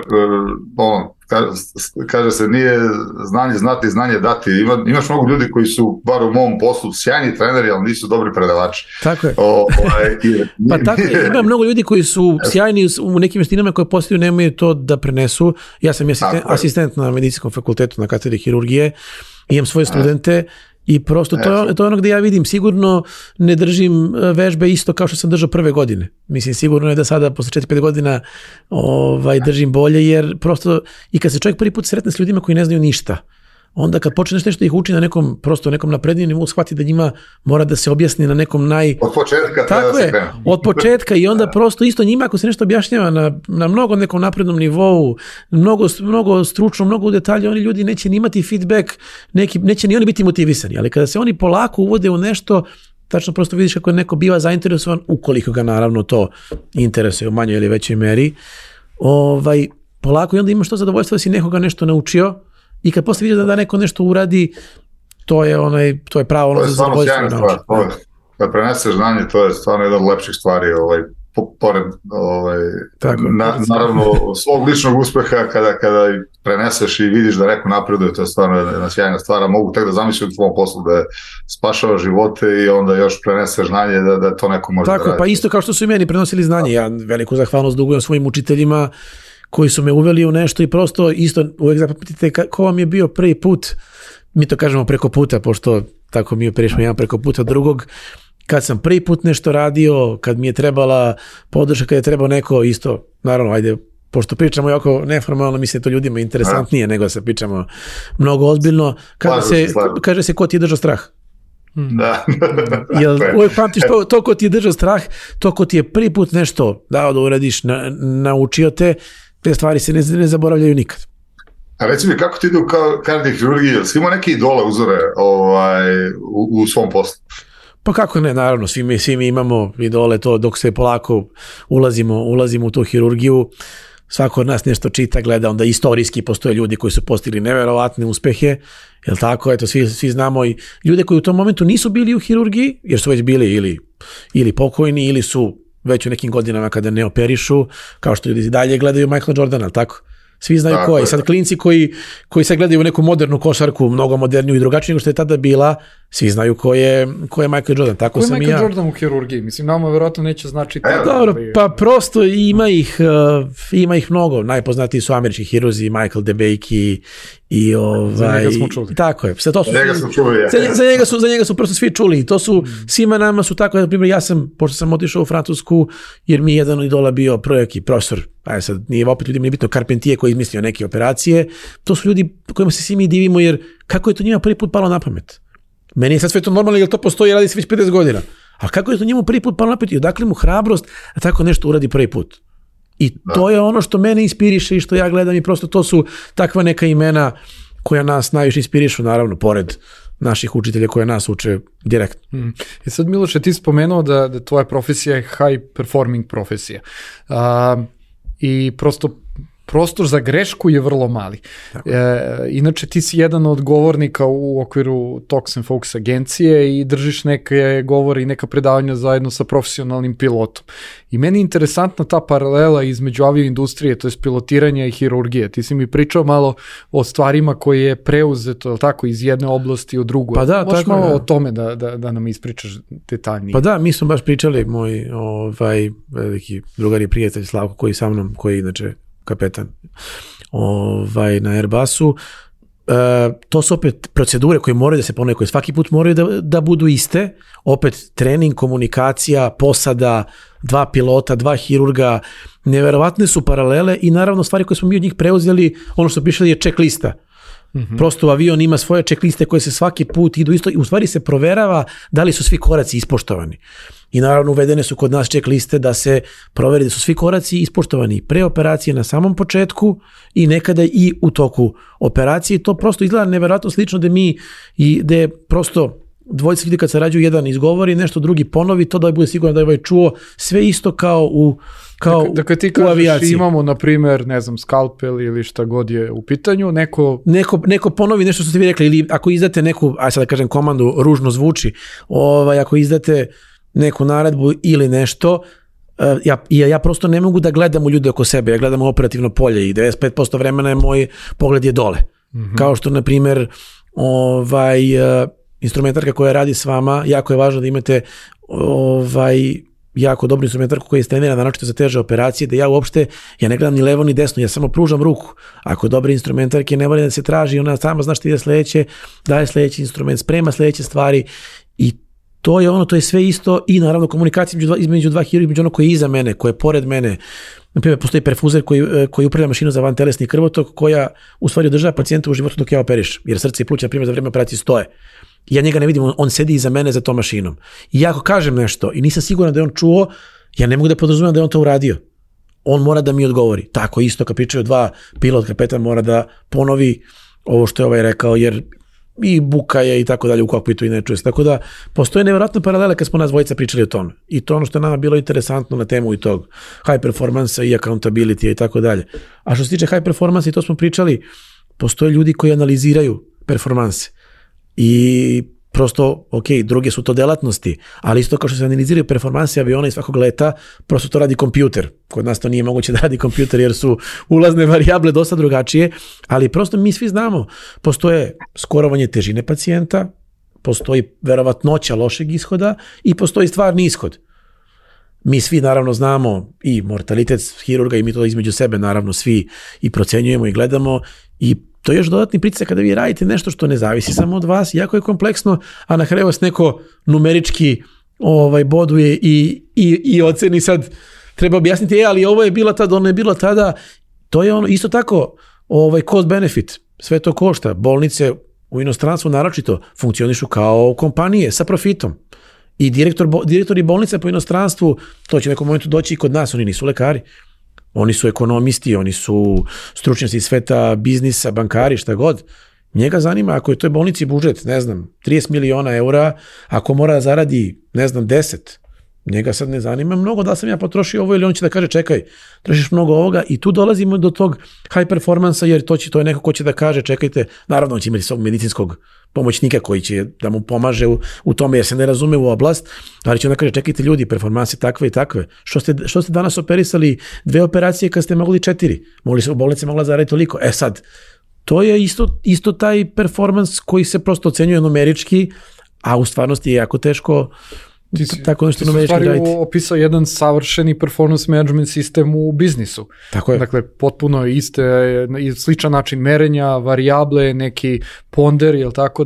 kaže se nije znanje znati, znanje dati. Imaš mnogo ljudi koji su, bar u mom poslu, sjajni treneri, ali nisu dobri predavači. Tako je. Pa tako je. Ima mnogo ljudi koji su sjajni u nekim vještinama koje postaju, nemaju to da prenesu. Ja sam asistent na medicinskom fakultetu na katedri hirurgije, imam svoje studente i prosto to je ono gdje ja vidim, sigurno ne držim vežbe isto kao što sam držao prve godine. Mislim, sigurno je da sada posle 4-5 godina držim bolje, jer prosto i kad se čovjek prvi put sretne s ljudima koji ne znaju ništa, onda kad počne nešto ih uči na nekom naprednijem nivou, shvati da njima mora da se objasni na nekom od početka. Tako je, od početka i onda prosto isto njima ako se nešto objašnjava na mnogo nekom naprednom nivou, mnogo stručno, mnogo u detalje, oni ljudi neće ni imati feedback, neće ni oni biti motivisani, ali kada se oni polako uvode u nešto, tačno prosto vidiš kako neko biva zainteresovan, ukoliko ga naravno to interesuje u manjoj ili većoj meri, polako i onda imaš to zadovoljstvo da si nekoga nešto naučio. I kad posle vidiš da neko nešto uradi, to je pravo ono za zadovoljstvo. To je stvarno sjajna stvar. Kad preneseš znanje, to je stvarno jedna od lepših stvari, pored naravno svog ličnog uspeha, kada preneseš i vidiš da neko napreduje, to je stvarno jedna sjajna stvar. Mogu tek da zamislim u tvom poslu da je spašava živote i onda još preneseš znanje da to neko može da radi. Tako, pa isto kao što su i meni prenosili znanje. Ja veliku zahvalnost dugujem svojim učiteljima koji su me uveli u nešto i prosto isto uvek zapamtite ko vam je bio prvi put, mi to kažemo preko puta, pošto tako mi prešmo jedan preko puta drugog, kad sam prvi put nešto radio, kad mi je trebala podrška, kad je trebao neko isto, naravno, ajde, pošto pričamo jako neformalno, mislim da to ljudima interesantnije nego da se pričamo mnogo ozbiljno, kaže se ko ti je držao strah. Da. Jel uvijek pamtiš to ko ti je držao strah, to ko ti je prvi put nešto dao da uradiš, naučio te stvari se ne zaboravljaju nikad. A reci mi, kako ti ide u kardiohirurgiji? Jel si imao neke idole, uzore u svom poslu? Pa kako ne, naravno, svi mi imamo idole, to dok se polako ulazimo u tu hirurgiju, svako od nas nešto čita, gleda, onda istorijski postoje ljudi koji su postigli neverovatne uspehe, jel tako, eto, svi znamo i ljude koji u tom momentu nisu bili u hirurgiji, jer su već bili ili pokojni, ili su već u nekim godinama kada ne operišu, kao što ljudi dalje gledaju Michaela Jordana, tako? Svi znaju ko je. Sad klinci koji sad gledaju neku modernu košarku, mnogo moderniju i drugačiju nego što je tada bila, svi znaju ko je Michael Jordan. Tako ko je sam Michael Jordan u hirurgiji? Mislim, nama verovatno neće znači... Dobro, pa prosto ima ih mnogo. Najpoznatiji su američki hirurzi, Michael DeBakey i za njega smo čuli. Tako je. Za njega su prosto svi čuli. To su, svima nama su tako, na primjer, pošto sam otišao u Francusku, jer mi je jedan od idola bio profesor, sad nije opet ljudima nije bitno, Carpentier koji je izmislio neke operacije, to su ljudi kojima se svi mi divimo, jer kako je to njima prvi put palo na pamet? Meni je sad sve to normalno, jer to postoji, radi se već 50 godina. A kako je to njemu prvi put palo na pamet i odakle mu hrabrost da tako nešto uradi prvi put? I to je ono što mene inspiriše i što ja gledam i prosto to su takva neka imena koja nas najviše inspirišu, naravno, pored naših učitelja koja nas uče direktno. I sad, Miloše, ti spomenuo da tvoja profesija je high performing profesija. I prosto prostor za grešku je vrlo mali. Inače, ti si jedan od govornika u okviru Talks and Focus agencije i držiš neke govore i neka predavanja zajedno sa profesionalnim pilotom. I meni je interesantna ta paralela između avioindustrije, to je pilotiranja i hirurgije. Ti si mi pričao malo o stvarima koje je preuzeto, tako, iz jedne oblasti u drugu. Pa da, možeš malo o tome da nam ispričaš detaljnije. Pa da, mi smo baš pričali, moj veliki drugar i prijatelj Slavko koji sa mnom, koji inače kapetan na Airbusu, to su opet procedure koje moraju da se ponove, koje svaki put moraju da budu iste, opet trening, komunikacija, posada, 2 pilota, 2 hirurga, neverovatne su paralele i naravno stvari koje smo mi od njih preuzeli, ono što pišali je checklista. Prosto avion ima svoje checkliste koje se svaki put idu isto i u stvari se proverava da li su svi koraci ispoštovani. I naravno uvedene su kod nas checkliste da se proveri da su svi koraci ispoštovani pre operacije na samom početku i nekada i u toku operacije. To prosto izgleda neverovatno slično da prosto dvojica ljudi kad sarađuju, jedan izgovori nešto, drugi ponovi, to da bude sigurno da je ovaj čuo, sve isto kao u dakle, ti kažeš imamo, na primjer, ne znam, skalpel ili šta god je u pitanju, neko ponovi nešto što ste vi rekli, ili ako izdate neku, aj sad da kažem komandu, ružno zvuči, ako izdate neku naredbu ili nešto, ja prosto ne mogu da gledam u ljude oko sebe, ja gledam u operativno polje i 95% vremena je moj pogled je dole. Kao što, na primjer, instrumentarka koja radi s vama, jako je važno da imate jako dobru instrumentarku koja je trenirana naročito za teže operacije, da ja ne gledam ni levo ni desno, ja samo pružam ruku. Ako je dobre instrumentarke, ne mora da se traži, ona sama zna što ide sledeće, daje sledeći instrument, sprema sledeće stvari i to je sve isto i naravno komunikacija između dva hirurga, između ono koji je iza mene, koji je pored mene. Na primjer, postoji perfuzer koji upravlja mašinu za vantelesni krvotok koja u stvari održava pacijenta u životu dok ja operišem, jer srce i pluća, na primjer, za vreme operacije stoje. Ja njega ne vidim, on sedi iza mene za tom mašinom. I ako kažem nešto i nisam siguran da je on čuo, ja ne mogu da podrazumem da je on to uradio. On mora da mi odgovori. Tako isto kad pričaju dva pilot, kapetan mora da ponovi ovo što je rekao, jer i buka je i tako dalje u kokpitu i ne čuje se. Tako da postoje nevjerojatne paralele kad smo nas dvojica pričali o tome. I to ono što je nama bilo interesantno na temu i tog high performance i accountability i tako dalje. A što se tiče high performance, i to smo pričali, postoje ljudi koji analiziraju performanse. I prosto, druge su to delatnosti, ali isto kao što se analiziraju performanse aviona i svakog leta, prosto to radi kompjuter. Kod nas to nije moguće da radi kompjuter jer su ulazne varijable dosta drugačije, ali prosto mi svi znamo, postoje skorovanje težine pacijenta, postoji verovatnoća lošeg ishoda i postoji stvarni ishod. Mi svi naravno znamo i mortalitet hirurga i mi to između sebe naravno svi i procenjujemo i gledamo i to je još dodatni pritisak kada vi radite nešto što ne zavisi samo od vas, jako je kompleksno, a na kraju vas neko numerički boduje i oceni sad, treba objasniti, ali ovo je bila tada, ono je bilo tada, to je ono, isto tako, cost benefit, sve to košta, bolnice u inostranstvu naročito funkcionišu kao kompanije sa profitom. I direktori bolnice po inostranstvu, to će u nekom momentu doći i kod nas, oni nisu lekari. Oni su ekonomisti, oni su stručnjaci iz sveta biznisa, bankari, šta god. Njega zanima ako je toj bolnici budžet, 30 miliona eura, ako mora da zaradi, 10, njega sad ne zanima mnogo da sam ja potrošio ovo ili on će da kaže čekaj, trošiš mnogo ovoga i tu dolazimo do tog high performansa jer to je neko ko će da kaže čekajte, naravno on će imati svog medicinskog pomoćnika koji će da mu pomaže u tome jer se ne razume u oblast, ali će onda kaže čekajte ljudi, performanse takve i takve. Što ste danas operisali 2 operacije kad ste mogli 4? U bolnici mogla zaraditi toliko. Sad, to je isto taj performans koji se prosto ocenjuje numerički, a u stvarnosti je jako teško tako nešto numerički raditi. Ti si opisao jedan savršeni performance management sistem u biznisu. Tako je. Dakle, potpuno sličan način merenja, varijable, neki ponder, je li tako?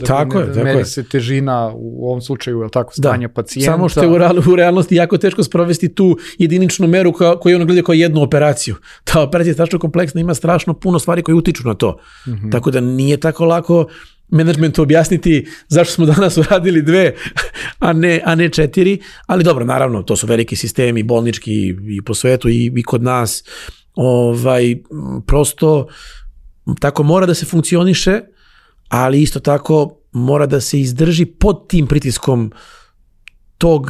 Meri se težina u ovom slučaju, je li tako, stanja pacijenta. Samo što je u realnosti jako teško sprovesti tu jediničnu meru koju ono gleda kao jednu operaciju. Ta operacija je strašno kompleksna, ima strašno puno stvari koje utiču na to. Mm-hmm. Tako da nije tako lako menadžmentu objasniti zašto smo danas uradili 2, a ne 4, ali dobro, naravno, to su veliki sistemi, bolnički i po svetu i kod nas, prosto tako mora da se funkcioniše, ali isto tako mora da se izdrži pod tim pritiskom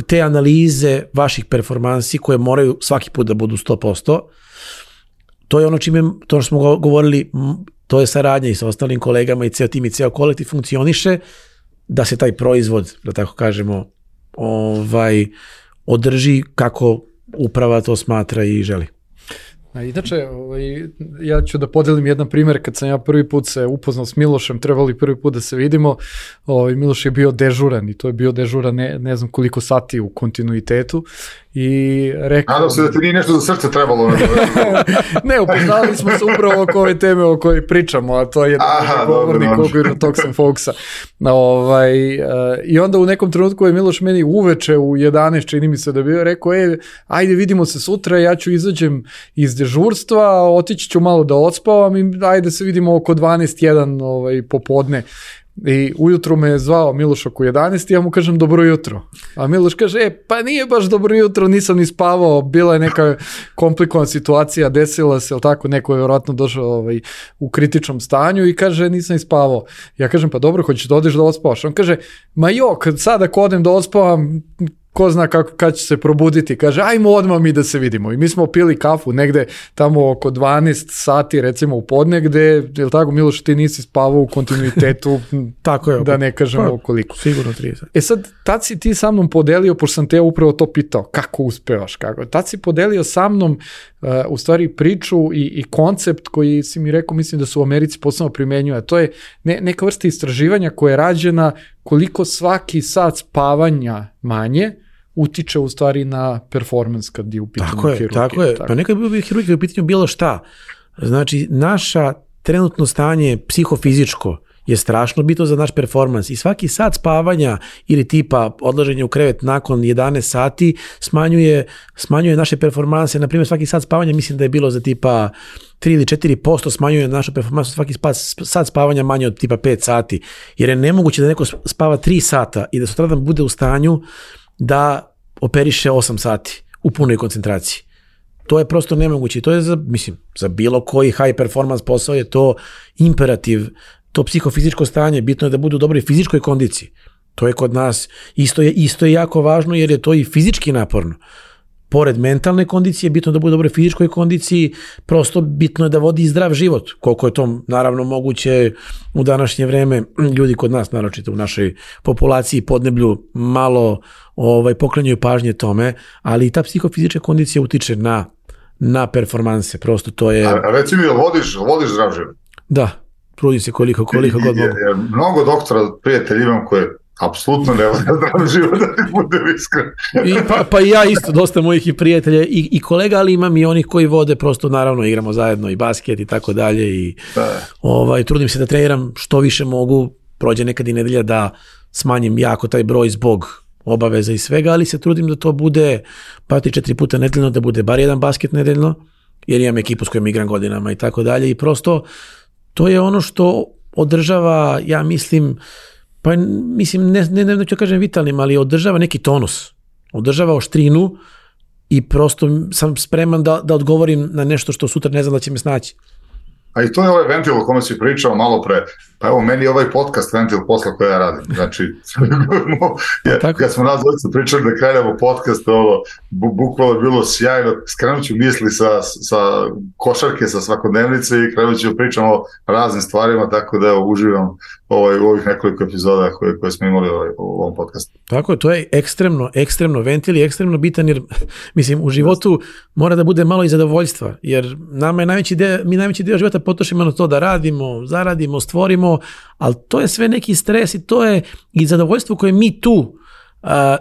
te analize vaših performansi koje moraju svaki put da budu 100%. To je ono to što smo govorili, to je saradnja i sa ostalim kolegama i ceo tim i ceo kolektiv funkcioniše da se taj proizvod, da tako kažemo, održi kako uprava to smatra i želi. Inače, ja ću da podelim jedan primjer, kad sam ja prvi put se upoznao s Milošem, trebali prvi put da se vidimo, Miloš je bio dežuran i to je bio dežuran ne znam koliko sati u kontinuitetu i rekao... Nadam se da ti nije nešto za srce trebalo. Ne, upoznali smo se upravo oko ove teme o kojoj pričamo, a to je govornik okvirno Toxin Foxa. I onda u nekom trenutku je Miloš meni uveče u 11, čini mi se da bio, rekao, ajde vidimo se sutra, ja ću izađem iz dežurstva, otići ću malo da odspavam i ajde se vidimo oko 12:01 popodne. I ujutru me je zvao Miloš oko 11 i ja mu kažem dobro jutro. A Miloš kaže, pa nije baš dobro jutro, nisam ni spavao, bila je neka komplikovana situacija, desila se, tako, neko je vjerojatno došao u kritičnom stanju i kaže, nisam ni spavao. Ja kažem, pa dobro, hoćeš da odeš da ospavaš? On kaže, ma sad ako odem da ospavam, ko zna kad će se probuditi, kaže, ajmo odmah mi da se vidimo. I mi smo pili kafu negde tamo oko 12 sati, recimo u podne, gde, je li tako, Miloš, ti nisi spavao u kontinuitetu, tako je, da ne kažemo koliko. Sigurno 30. Sad, tad si ti sa mnom podelio, pošto sam te upravo to pitao, kako uspevaš, kako. Tad si podelio sa mnom, u stvari, priču i koncept koji si mi rekao, mislim da su u Americi posebno primenjuje. To je neka vrsta istraživanja koja je rađena koliko svaki sat spavanja manje utiče u stvari na performans kad je u pitanju hirurgije. Tako je. Pa nekad bi hirurgija u pitanju bilo šta. Znači, naša trenutno stanje psihofizičko je strašno bitno za naš performans i svaki sat spavanja ili tipa odlaženja u krevet nakon 11 sati smanjuje naše performanse. Na primjer, svaki sat spavanja mislim da je bilo za tipa 3 ili 4% smanjuje našu performansu, svaki sat spavanja manje od tipa 5 sati. Jer je nemoguće da neko spava 3 sata i da sutradan bude u stanju da operiše 8 sati u punoj koncentraciji. To je prosto nemoguće. To je za bilo koji high performance posao je to imperativ. To psihofizičko stanje, bitno je da budu u dobroj fizičkoj kondiciji. To je kod nas isto je jako važno jer je to i fizički naporno. Pored mentalne kondicije, bitno je da bude u dobroj fizičkoj kondiciji, prosto bitno je da vodi zdrav život. Koliko je to naravno moguće u današnje vreme, ljudi kod nas, naročito u našoj populaciji podneblju, malo poklanjaju pažnje tome, ali i ta psihofizička kondicija utiče na performanse. Prosto to je... A reci mi, vodiš zdrav život? Da. Trudim se koliko god mogu. Mnogo doktora prijatelja imam koje apsolutno ne vode zdrav život, da ti budem iskren. Pa i ja isto, dosta mojih i prijatelja i kolega, ali imam i onih koji vode, prosto naravno igramo zajedno i basket i tako dalje i trudim se da treniram što više mogu, prođe nekad i nedelja da smanjim jako taj broj zbog obaveza i svega, ali se trudim da to bude pa 3-4 puta nedeljno, da bude bar jedan basket nedeljno, jer imam ekipu s kojom igram godinama i tako dalje i prosto to je ono što održava, ja mislim, pa mislim, ne ću kažem vitalnim, ali održava neki tonus, održava oštrinu i prosto sam spreman da odgovorim na nešto što sutra ne znam da će me snaći. A i to je ovaj ventil o kome si pričao malo pre. Pa evo, meni je ovaj podcast ventil posla koje ja radim. Znači, kad smo nas dvojica pričali da krenemo podcast, bukvalno je bilo sjajno. Skrenut ću misli sa košarke, sa svakodnevnice i krenut ću pričamo o raznim stvarima, tako da uživam u ovih nekoliko epizoda koje smo imali u ovom podcastu. Tako je, to je ekstremno ventil i ekstremno bitan, jer mislim, u životu mora da bude malo i zadovoljstva, jer nama je najveći dio života potrošimo na to da radimo, zaradimo, stvorimo, ali to je sve neki stres i to je i zadovoljstvo koje mi tu,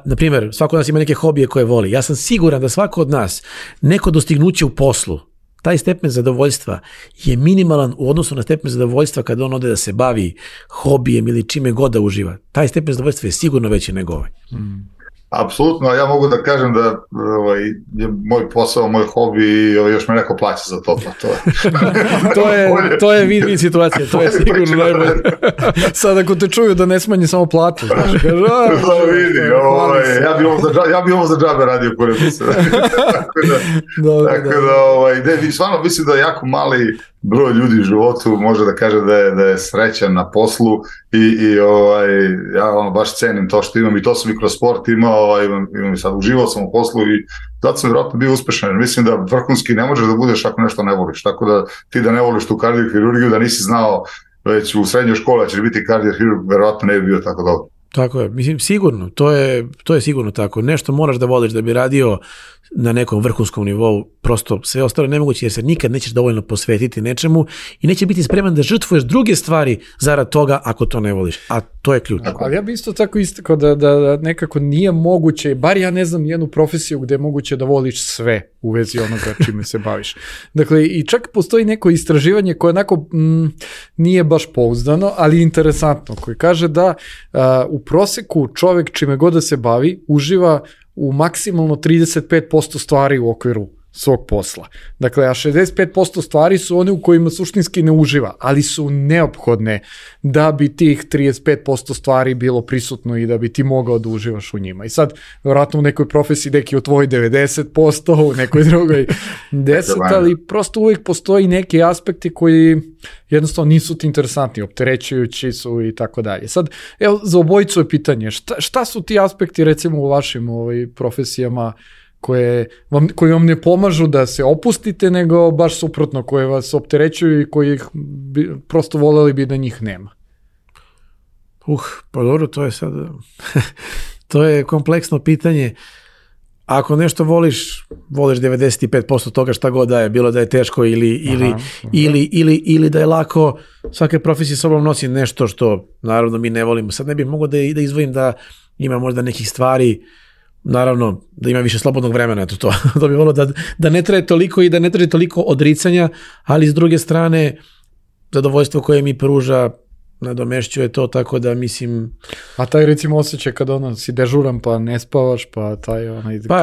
na primjer, svako od nas ima neke hobije koje voli. Ja sam siguran da svako od nas neko dostignuće u poslu, taj stepen zadovoljstva je minimalan u odnosu na stepen zadovoljstva kada on ode da se bavi hobijem ili čime god da uživa. Taj stepen zadovoljstva je sigurno veći nego ovaj. Apsolutno, a ja mogu da kažem da je moj posao, moj hobi i još me neko plaća za to. To je win-win situacija, to je sigurno najbolje. Sad ako te čuju da ne smanji samo platu, znači kaže, ja bi ovo za džabe radio kore se. Tako da, stvarno mislim da je jako mali broj ljudi u životu može da kaže da je srećan na poslu i ja baš cenim to što imam i to sam i kroz sport imao, imam i sad uživao sam u poslu i zato sam vjerojatno bio uspešan. Mislim da vrhunski ne možeš da budeš ako nešto ne voliš, tako da ti da ne voliš tu kardiohirurgiju, da nisi znao već u srednjoj školi da ćeš biti kardiohirurg, vjerojatno ne bi bio tako dobro. Tako je, mislim, sigurno, to je sigurno tako. Nešto moraš da voliš da bi radio na nekom vrhunskom nivou, prosto sve ostalo nemoguće jer se nikad nećeš dovoljno posvetiti nečemu i neće biti spreman da žrtvuješ druge stvari zarad toga ako to ne voliš, a to je ključ. Ali ja bi isto tako istakao da nekako nije moguće, bar ja ne znam jednu profesiju gde je moguće da voliš sve u vezi onoga čime se baviš. Dakle, i čak postoji neko istraživanje koje onako nije baš pouzdano, ali interesantno, koje kaže da u proseku čovek čime god da se bavi uživa u maksimalno 35% stvari u okviru svog posla. Dakle, a 65% stvari su one u kojima suštinski ne uživa, ali su neophodne da bi tih 35% stvari bilo prisutno i da bi ti mogao da uživaš u njima. I sad, vjerojatno u nekoj profesiji neki u tvoj 90%, u nekoj drugoj 10%, ali prosto uvijek postoji neki aspekti koji jednostavno nisu ti interesantni, opterećujući su i tako dalje. Sad, evo, za obojicu je pitanje, šta su ti aspekti, recimo, u vašim profesijama koji vam ne pomažu da se opustite, nego baš suprotno, koje vas opterećuju i koji prosto voleli bi da njih nema? Pa dobro, to je sad to je kompleksno pitanje. Ako nešto voliš 95% toga šta god da je, bilo da je teško ili da je lako, svake profesije sobom nosi nešto što naravno mi ne volimo. Sad ne bih mogao da izdvojim da ima možda nekih stvari, naravno da ima više slobodnog vremena, eto to bi volio da ne traje toliko i da ne traje toliko odricanja, ali s druge strane zadovoljstvo koje mi pruža nadomešćuje to, tako da mislim... A taj recimo osjećaj kada si dežuran pa ne spavaš, pa taj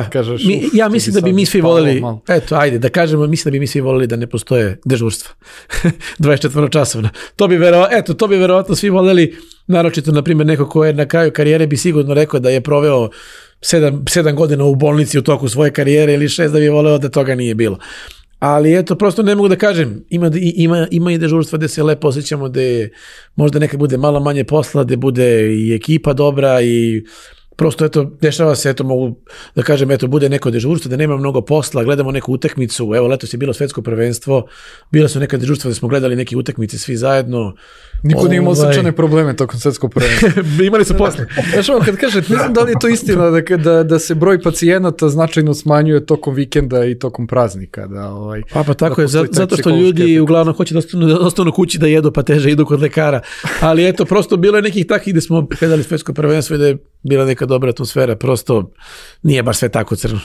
kažeš... Ja mislim da bi mi svi voleli, eto ajde da kažemo, mislim da bi mi svi voleli da ne postoje dežurstva 24 časovna. To bi verovatno svi voleli, naročito na primjer neko ko je na kraju karijere bi sigurno rekao da je proveo 7 godina u bolnici u toku svoje karijere ili 6, da bi voleo da toga nije bilo. Ali eto, prosto ne mogu da kažem, ima i dežurstva gde se lepo osjećamo, gde možda nekad bude malo manje posla, gde bude i ekipa dobra i prosto eto, dešava se, eto mogu da kažem, eto bude neko dežurstvo, da nema mnogo posla, gledamo neku utakmicu, evo letos je bilo svetsko prvenstvo, bila su neka dežurstva da smo gledali neke utakmice svi zajedno. Niko nije imao srčane probleme tokom svetskog prvenstva. Imali su posle. Znaš ovo, kad kažete, ne znam da li je to istina da se broj pacijenata značajno smanjuje tokom vikenda i tokom praznika. Pa tako je, zato što ljudi uglavnom hoće da ostanu kući da jedu, pa teže idu kod lekara. Ali eto, prosto bilo je nekih takvih gde smo gledali svetsko prvenstvo i da je bila neka dobra atmosfera, prosto nije baš sve tako crno.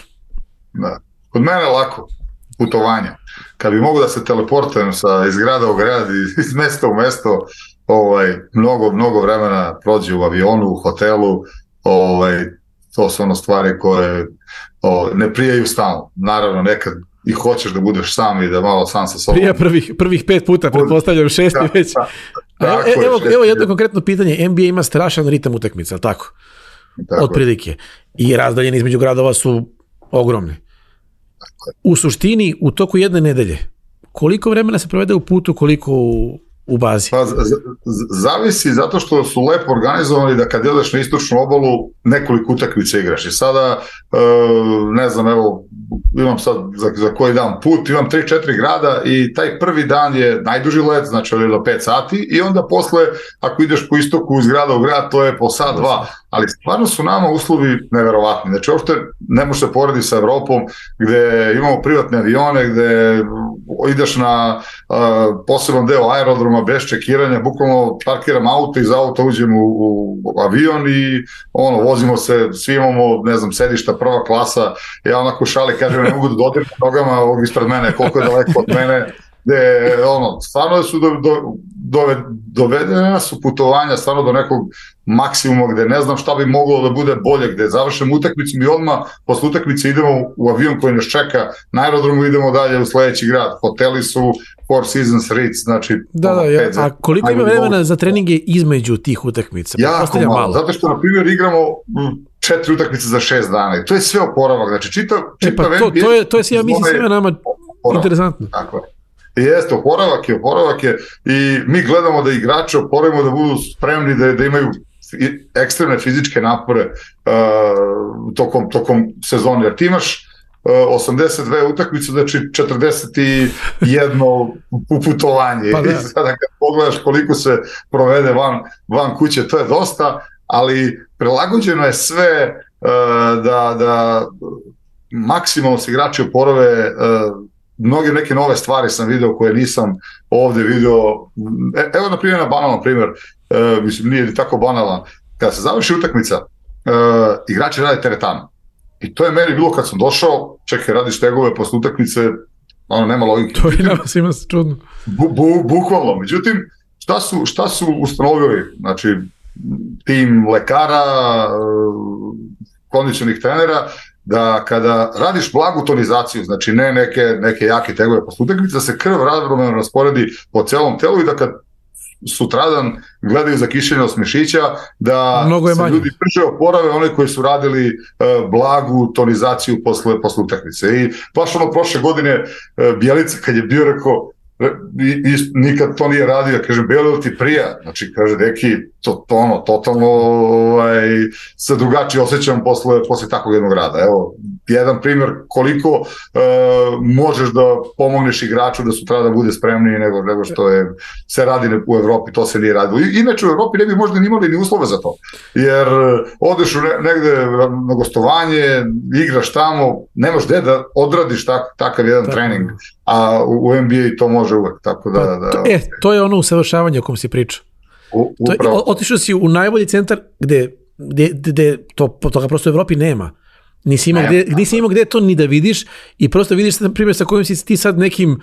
Da. Kod mene je lako putovanje. Kad bi mogu da se teleportujem iz grada u grad, iz mesta u mesto, mnogo vremena prođe u avionu, u hotelu, to su ono stvari koje ne prijaju stalno. Naravno, nekad i hoćeš da budeš sam i da malo sam sa sobom. Prija prvih 5 puta, pretpostavljam 6 već. Evo jedno konkretno pitanje, NBA ima strašan ritam utakmica, ali tako? Otprilike. I razdaljeni između gradova su ogromni. U suštini, u toku jedne nedelje, koliko vremena se provede u putu, koliko u bazi? Pa, zavisi, zato što su lepo organizovani da kad jedeš na istočnu obalu nekoliko utakmica igraš. I sada, ne znam, evo, imam sad za koji dan put, imam 3-4 grada i taj prvi dan je najduži let, znači do 5 sati i onda posle, ako ideš po istoku iz grada u grad, to je po sat, 2. Ali stvarno su nama uslovi neverovatni. Znači, uopšte ne može se porediti sa Evropom, gde imamo privatne avione, gde ideš na poseban deo aerodroma bez čekiranja, bukvalno parkiram auto, iz auta uđem u avion i vozimo se, svi imamo, ne znam, sedišta prva klasa, ja onako šali, kažem, ne mogu da dodirim nogama ovog ispred mene, koliko je daleko od mene, gde, stvarno su dovedena su putovanja stvarno do nekog maksimuma gde ne znam šta bi moglo da bude bolje, gde završimo utakmicu i odmah posle utakmice idemo u avion koji nas čeka na aerodromu, idemo dalje u sledeći grad. Hoteli su Four Seasons Ritz, znači... A koliko ima vremena za treninge između tih utakmica? Jako malo, zato što, na primjer, igramo 4 utakmice za 6 dana i to je sve oporavak, znači čitav to je ja mislim svima nama interesantno. Tako je. Jeste, oporavak je i mi gledamo da igrače oporavimo, da budu spremni da imaju ekstremne fizičke napore tokom sezone, jer ti imaš 82 utakmice, znači 41 putovanje. Pa i sada kad pogledaš koliko se provede van kuće, to je dosta, ali prilagođeno je sve da maksimalno se igrači oporave. Mnoge neke nove stvari sam video koje nisam ovde video. Evo na primjer, na banalan primjer, mislim nije tako banalan, kada se završi utakmica, igrači rade teretanu. I to je meni bilo kad sam došao, čekaj, radiš tegove posle utakmice, nema logike. To je nama svima čudno. Bukvalno. Međutim, šta su ustanovili? Znači, tim lekara, kondicionih trenera, da kada radiš blagu tonizaciju, znači ne neke jake tegove posle utakmice, da se krv ravnomerno rasporedi po celom telu i da kad sutradan gledaju za kišenje od mišića, da se ljudi brže oporave, oni koji su radili blagu tonizaciju posle utakmice. I baš prošle godine Bjelica kad je bio rekao, nikad to nije radio, kažem, Belo ti prija, znači kaže, deki, totalno se drugačije osjećam posle takvog jednog rada. Evo, jedan primjer koliko možeš da pomogneš igraču da sutra da bude spremniji nego što se radi u Evropi, to se nije radilo. Inače u Evropi ne bi možda imali ni uslove za to, jer odeš negde na gostovanje, igraš tamo, nemaš gde da odradiš takav jedan trening, a u NBA to može uvek, tako da... To je ono usavršavanje o kom si pričao. Otišao si u najbolji centar gde toga prosto u Evropi nema. Nisi imao gde to ni da vidiš i prosto vidiš, na primjer, sa kojim si ti sad nekim,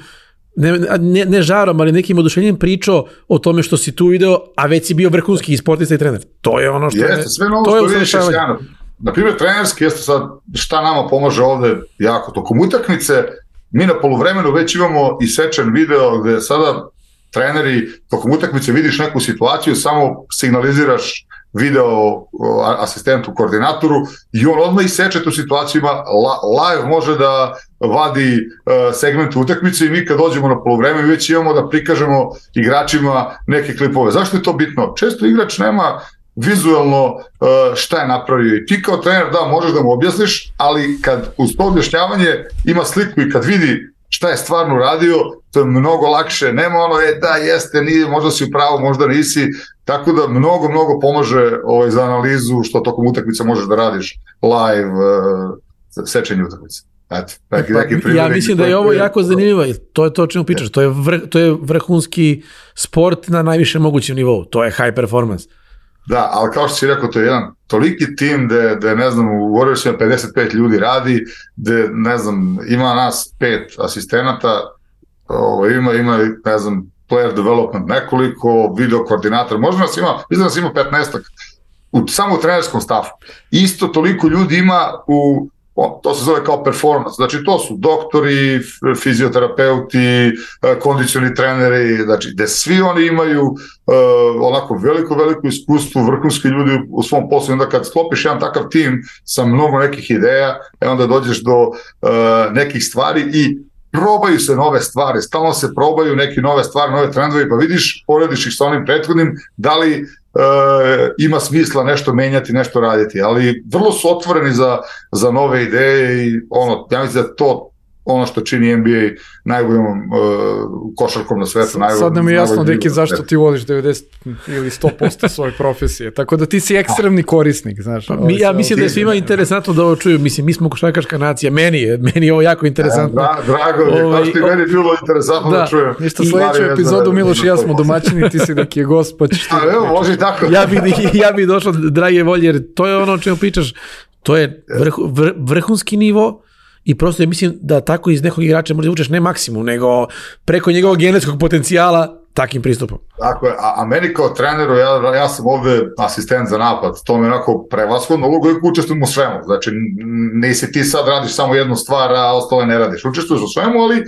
ne žarom, ali nekim oduševljenjem pričao o tome što si tu video, a već si bio vrhunski sportista i trener. To je ono što jeste, sve novo što vidiš je sjajno. Na primjer, trenerski jeste sad šta nama pomaže ovde jako tokom utakmice. Mi na poluvremenu već imamo isečen video gde sada treneri tokom utakmice vidiš neku situaciju, samo signaliziraš video asistentu, koordinatoru i on odmah iseče tu situaciju, ima live, može da vadi segmente utakmice i mi kad dođemo na poluvreme već imamo da prikažemo igračima neke klipove. Zašto je to bitno? Često igrač nema vizualno šta je napravio i ti kao trener možeš da mu objasniš, ali kad uz to objašnjavanje ima sliku i kad vidi šta je stvarno radio, to je mnogo lakše, nema ono, da jeste, nije, možda si u pravu, možda nisi, tako da mnogo pomaže za analizu što tokom utakmice možeš da radiš live sečenje utakmice. Ja mislim da je ovo jako zanimljivo, to je to o čemu pričaš, to je vrhunski sport na najvišem mogućem nivou, to je high performance. Da, ali kao što si rekao, to je jedan toliki tim gde ne znam, u Warriorsima 55 ljudi radi, gde, ne znam, ima nas 5 asistenata, ima, ne znam, player development nekoliko, video koordinator, možda nas ima, mislim da nas ima 15-ak, samo u trenerskom stafu. Isto toliko ljudi ima to se zove kao performance, znači to su doktori, fizioterapeuti, kondicioni treneri, znači gde svi oni imaju onako veliko iskustvo, vrhunski ljudi u svom poslu, i onda kad sklopiš jedan takav tim sa mnogo nekih ideja, onda dođeš do nekih stvari i probaju se nove stvari, stalno se probaju neke nove stvari, nove trendove, pa vidiš, porediš ih sa onim prethodnim, da li ima smisla nešto menjati, nešto raditi, ali vrlo su otvoreni za nove ideje i ja mislim da to ono što čini NBA najboljom košarkom na svetu. Sad nam je jasno, Deki, zašto ti voliš 90 ili 100% svoje profesije, tako da ti si ekstremni korisnik, znaš. Ja mislim da je svima interesantno da ovo čuju, mislim, mi smo košarkaška nacija, meni je ovo jako interesantno. Drago mi je, kao što i meni bilo interesantno da čujem. Ništa, sledeću epizodu Miloš i ja smo domaćini, ti si Deki je gost, pa ćeš ti... Evo, može i tako. Ja bi došao, drage volje, jer to je ono o čemu pričaš, to je vrhunski nivo. I prosto mislim da tako iz nekog igrača možda učeš ne maksimum, nego preko njegovog genetskog potencijala takim pristupom. Tako je, a meni kao treneru, ja sam ovde asistent za napad, to mi je onako prevashodno ulogu i učestvujem u svemu, znači nisi ti sad radiš samo jednu stvar, a ostale ne radiš, učestvuješ u svemu, ali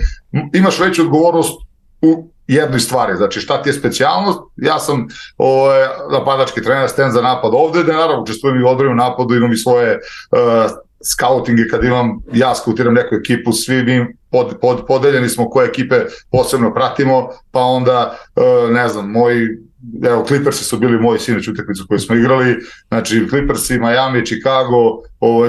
imaš veću odgovornost u jednoj stvari, znači šta ti je specijalnost, ja sam napadački trener, asistent za napad ovde, da naravno učestvujem i u odbrani napadu, imam i svoje scoutinge, kad ja skautiram neku ekipu, svi mi podeljeni smo koje ekipe posebno pratimo, pa onda, ne znam, Clippersi su bili moji sinoć utakmicu koju smo igrali, znači Clippersi, Miami, Chicago,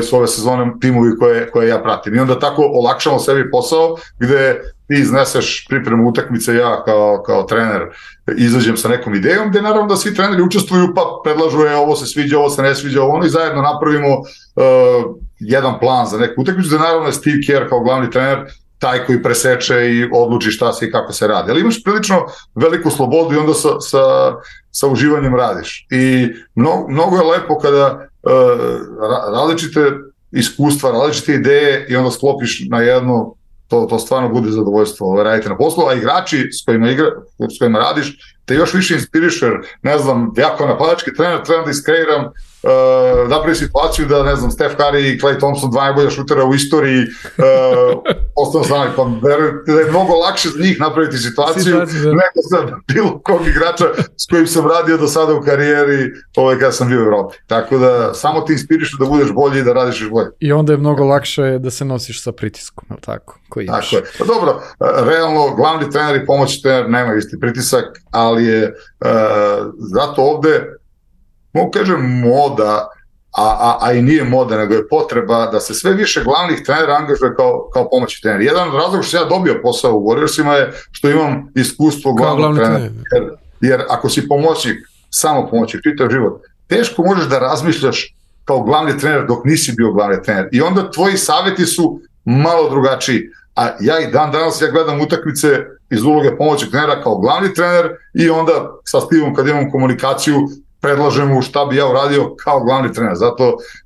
su ove sezone timovi koje ja pratim. I onda tako olakšamo sebi posao, gde ti izneseš pripremu utakmice, ja kao trener izađem sa nekom idejom, gde naravno da svi treneri učestvuju, pa predlažu ovo se sviđa, ovo se ne sviđa, ono, i zajedno napravimo jedan plan za neku utakmicu, gde naravno je Steve Kerr kao glavni trener taj koji preseče i odluči šta se i kako se radi. Ali imaš prilično veliku slobodu i onda sa uživanjem radiš. I mnogo je lepo kada različite iskustva, različite ideje i onda sklopiš na jedno, to stvarno bude zadovoljstvo raditi na poslu, a igrači s kojima radiš te još više inspiriš, jer ne znam, ja kao napadački trener trebam da iskreiram napravi situaciju da, ne znam, Steph Curry i Klay Thompson, dva najbolja šutera u istoriji, ostalo znali, pa verujte da je mnogo lakše za njih napraviti situaciju nego za bilo kog igrača s kojim sam radio do sada u karijeri kada sam bio u Evropi. Tako da samo ti inspirišu da budeš bolji i da radiš još bolje. I onda je mnogo lakše da se nosiš sa pritiskom, je li tako? Tako je. Pa dobro, realno glavni trener i pomoćni trener nema isti pritisak, ali je zato ovde, mogu kažem, moda, a i nije moda, nego je potreba da se sve više glavnih trenera angažuje kao pomoćni trener. Jedan od razloga što ja dobio posao u Warriorsima je što imam iskustvo glavnog trenera. Jer ako si pomoćnik, samo pomoćnik, čitav život, teško možeš da razmišljaš kao glavni trener dok nisi bio glavni trener. I onda tvoji savjeti su malo drugačiji. A ja i danas gledam utakmice iz uloge pomoćnog trenera kao glavni trener i onda sa Stevom kad imam komunikaciju predlažem mu šta bi ja uradio kao glavni trener.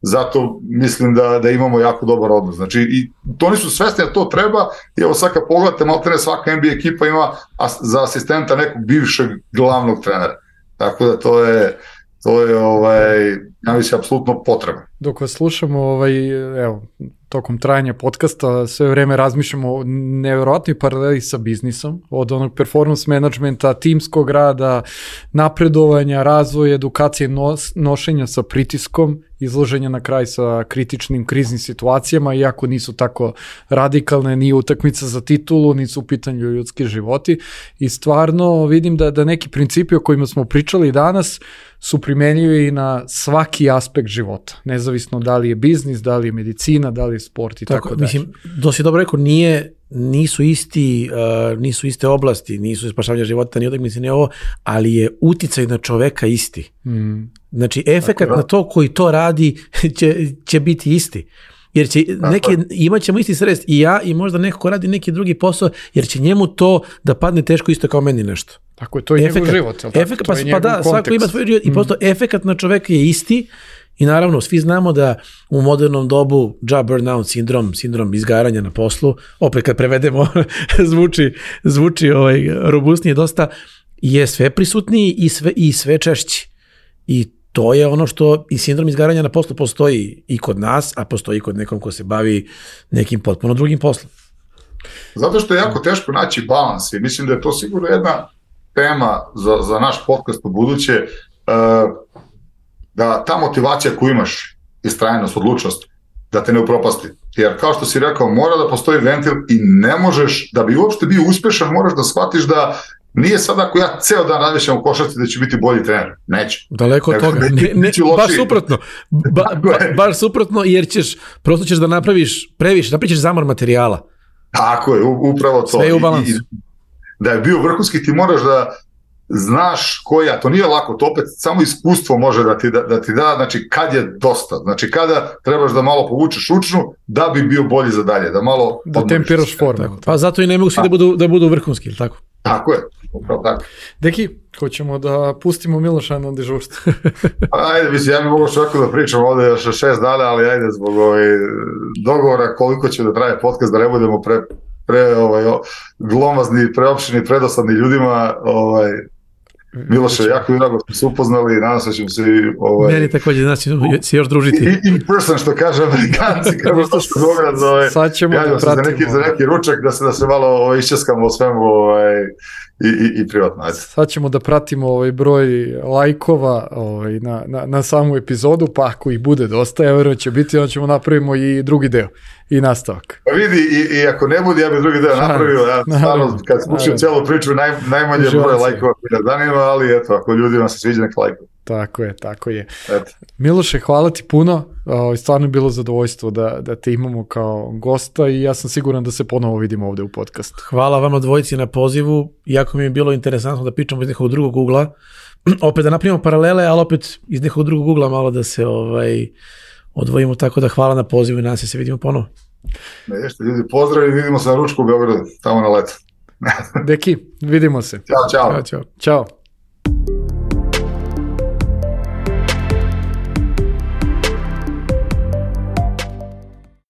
Zato mislim da imamo jako dobar odnos. Znači, i to nisu svesni da to treba. I evo sad kad pogledate, maltene svaka NBA ekipa ima za asistenta nekog bivšeg glavnog trenera. Tako da to je ja mislim, apsolutno potrebno. Dok vas slušamo, evo, tokom trajanja podcasta sve vreme razmišljamo o nevjerojatnoj paraleli sa biznisom, od onog performance managementa, timskog rada, napredovanja, razvoja, edukacije, nošenja sa pritiskom, izloženja na kraj sa kritičnim kriznim situacijama, iako nisu tako radikalne, ni utakmica za titulu, nisu u pitanju ljudski životi. I stvarno vidim da neki principi o kojima smo pričali danas su primenljivi na svaki aspekt života, nezavisno da li je biznis, da li je medicina, da li je sport i tako dalje. Mislim, to si dobro rekao, nisu iste oblasti, nisu spašavanje života, ni utakmice, ni ovo, ali je uticaj na čoveka isti. Znači, efekat na to koji to radi će biti isti. Jer će imat ćemo isti stres i ja i možda neko ko radi neki drugi posao, jer će njemu to da padne teško isto kao meni nešto. Tako je, to je njegov život. Pa da, svako ima svoj život i prosto efekat na čoveka je isti. I naravno, svi znamo da u modernom dobu job burnout sindrom izgaranja na poslu, opet kad prevedemo zvuči robustnije dosta, je sve prisutniji i sve češći. I to je ono što i sindrom izgaranja na poslu postoji i kod nas, a postoji i kod nekom ko se bavi nekim potpuno drugim poslom. Zato što je jako teško naći balans i mislim da je to sigurno jedna tema za naš podcast u buduće, da ta motivacija koju imaš, istrajnost, odlučnost, da te ne upropasti. Jer kao što si rekao, mora da postoji ventil i ne možeš, da bi uopšte bio uspešan, moraš da shvatiš da nije sad ako ja ceo dan razmišljam u košarci da ću biti bolji trener. Neće. Daleko od toga. Baš suprotno. Baš suprotno, jer prosto ćeš da napraviš previše, napraviš zamor materijala. Tako je, upravo to. Sve je u balansu. Da je bio vrhunski, ti moraš da znaš koja, to nije lako, to opet samo iskustvo može da ti da, znači kad je dosta, znači kada trebaš da malo povučeš učnu da bi bio bolji za dalje, da malo da tempiraš formu. Pa zato i ne mogu svi da budu vrhunski, ili tako? Tako je, upravo tako. Deki, hoćemo da pustimo Miloša na dežurstvo. Ajde, mislim, ja mi mogu čak da pričam ovde još 6 dana, ali ajde zbog dogovora koliko će da traje podcast, da ne budemo glomazni, preopšteni, predosadni ljudima, Miloše, jako drago smo se upoznali, nadam se ćemo se meni također, znači se još družiti. In person, što kaže Amerikanci, kako što se Beograd sad ćemo da pratimo. Za neki ručak, da se malo iščeskamo o svemu i privatno. Ajde. Sad ćemo da pratimo broj lajkova na samu epizodu, pa ako ih bude dosta, ja verujem će biti, onda ćemo napravimo i drugi deo i nastavak. Pa vidi, i ako ne bude, ja bih drugi deo napravio, ja stvarno, kad slušam cijelu priču, najmanje broj lajkova koji nas zanima, ali eto, ako ljudima se sviđa nek lajkova. Tako je. Miloše, hvala ti puno, stvarno je bilo zadovoljstvo da te imamo kao gosta i ja sam siguran da se ponovo vidimo ovde u podcastu. Hvala vama dvojici na pozivu, jako mi je bilo interesantno da pričamo iz nekog drugog ugla, opet da napravimo paralele, ali opet iz nekog drugog ugla malo da se odvojimo, tako da hvala na pozivu i nadam se vidimo ponovo. Jeste, ljudi, pozdrav i vidimo se na ručku u Beogradu, tamo na leto. Deki, vidimo se. Ćao. Ćao.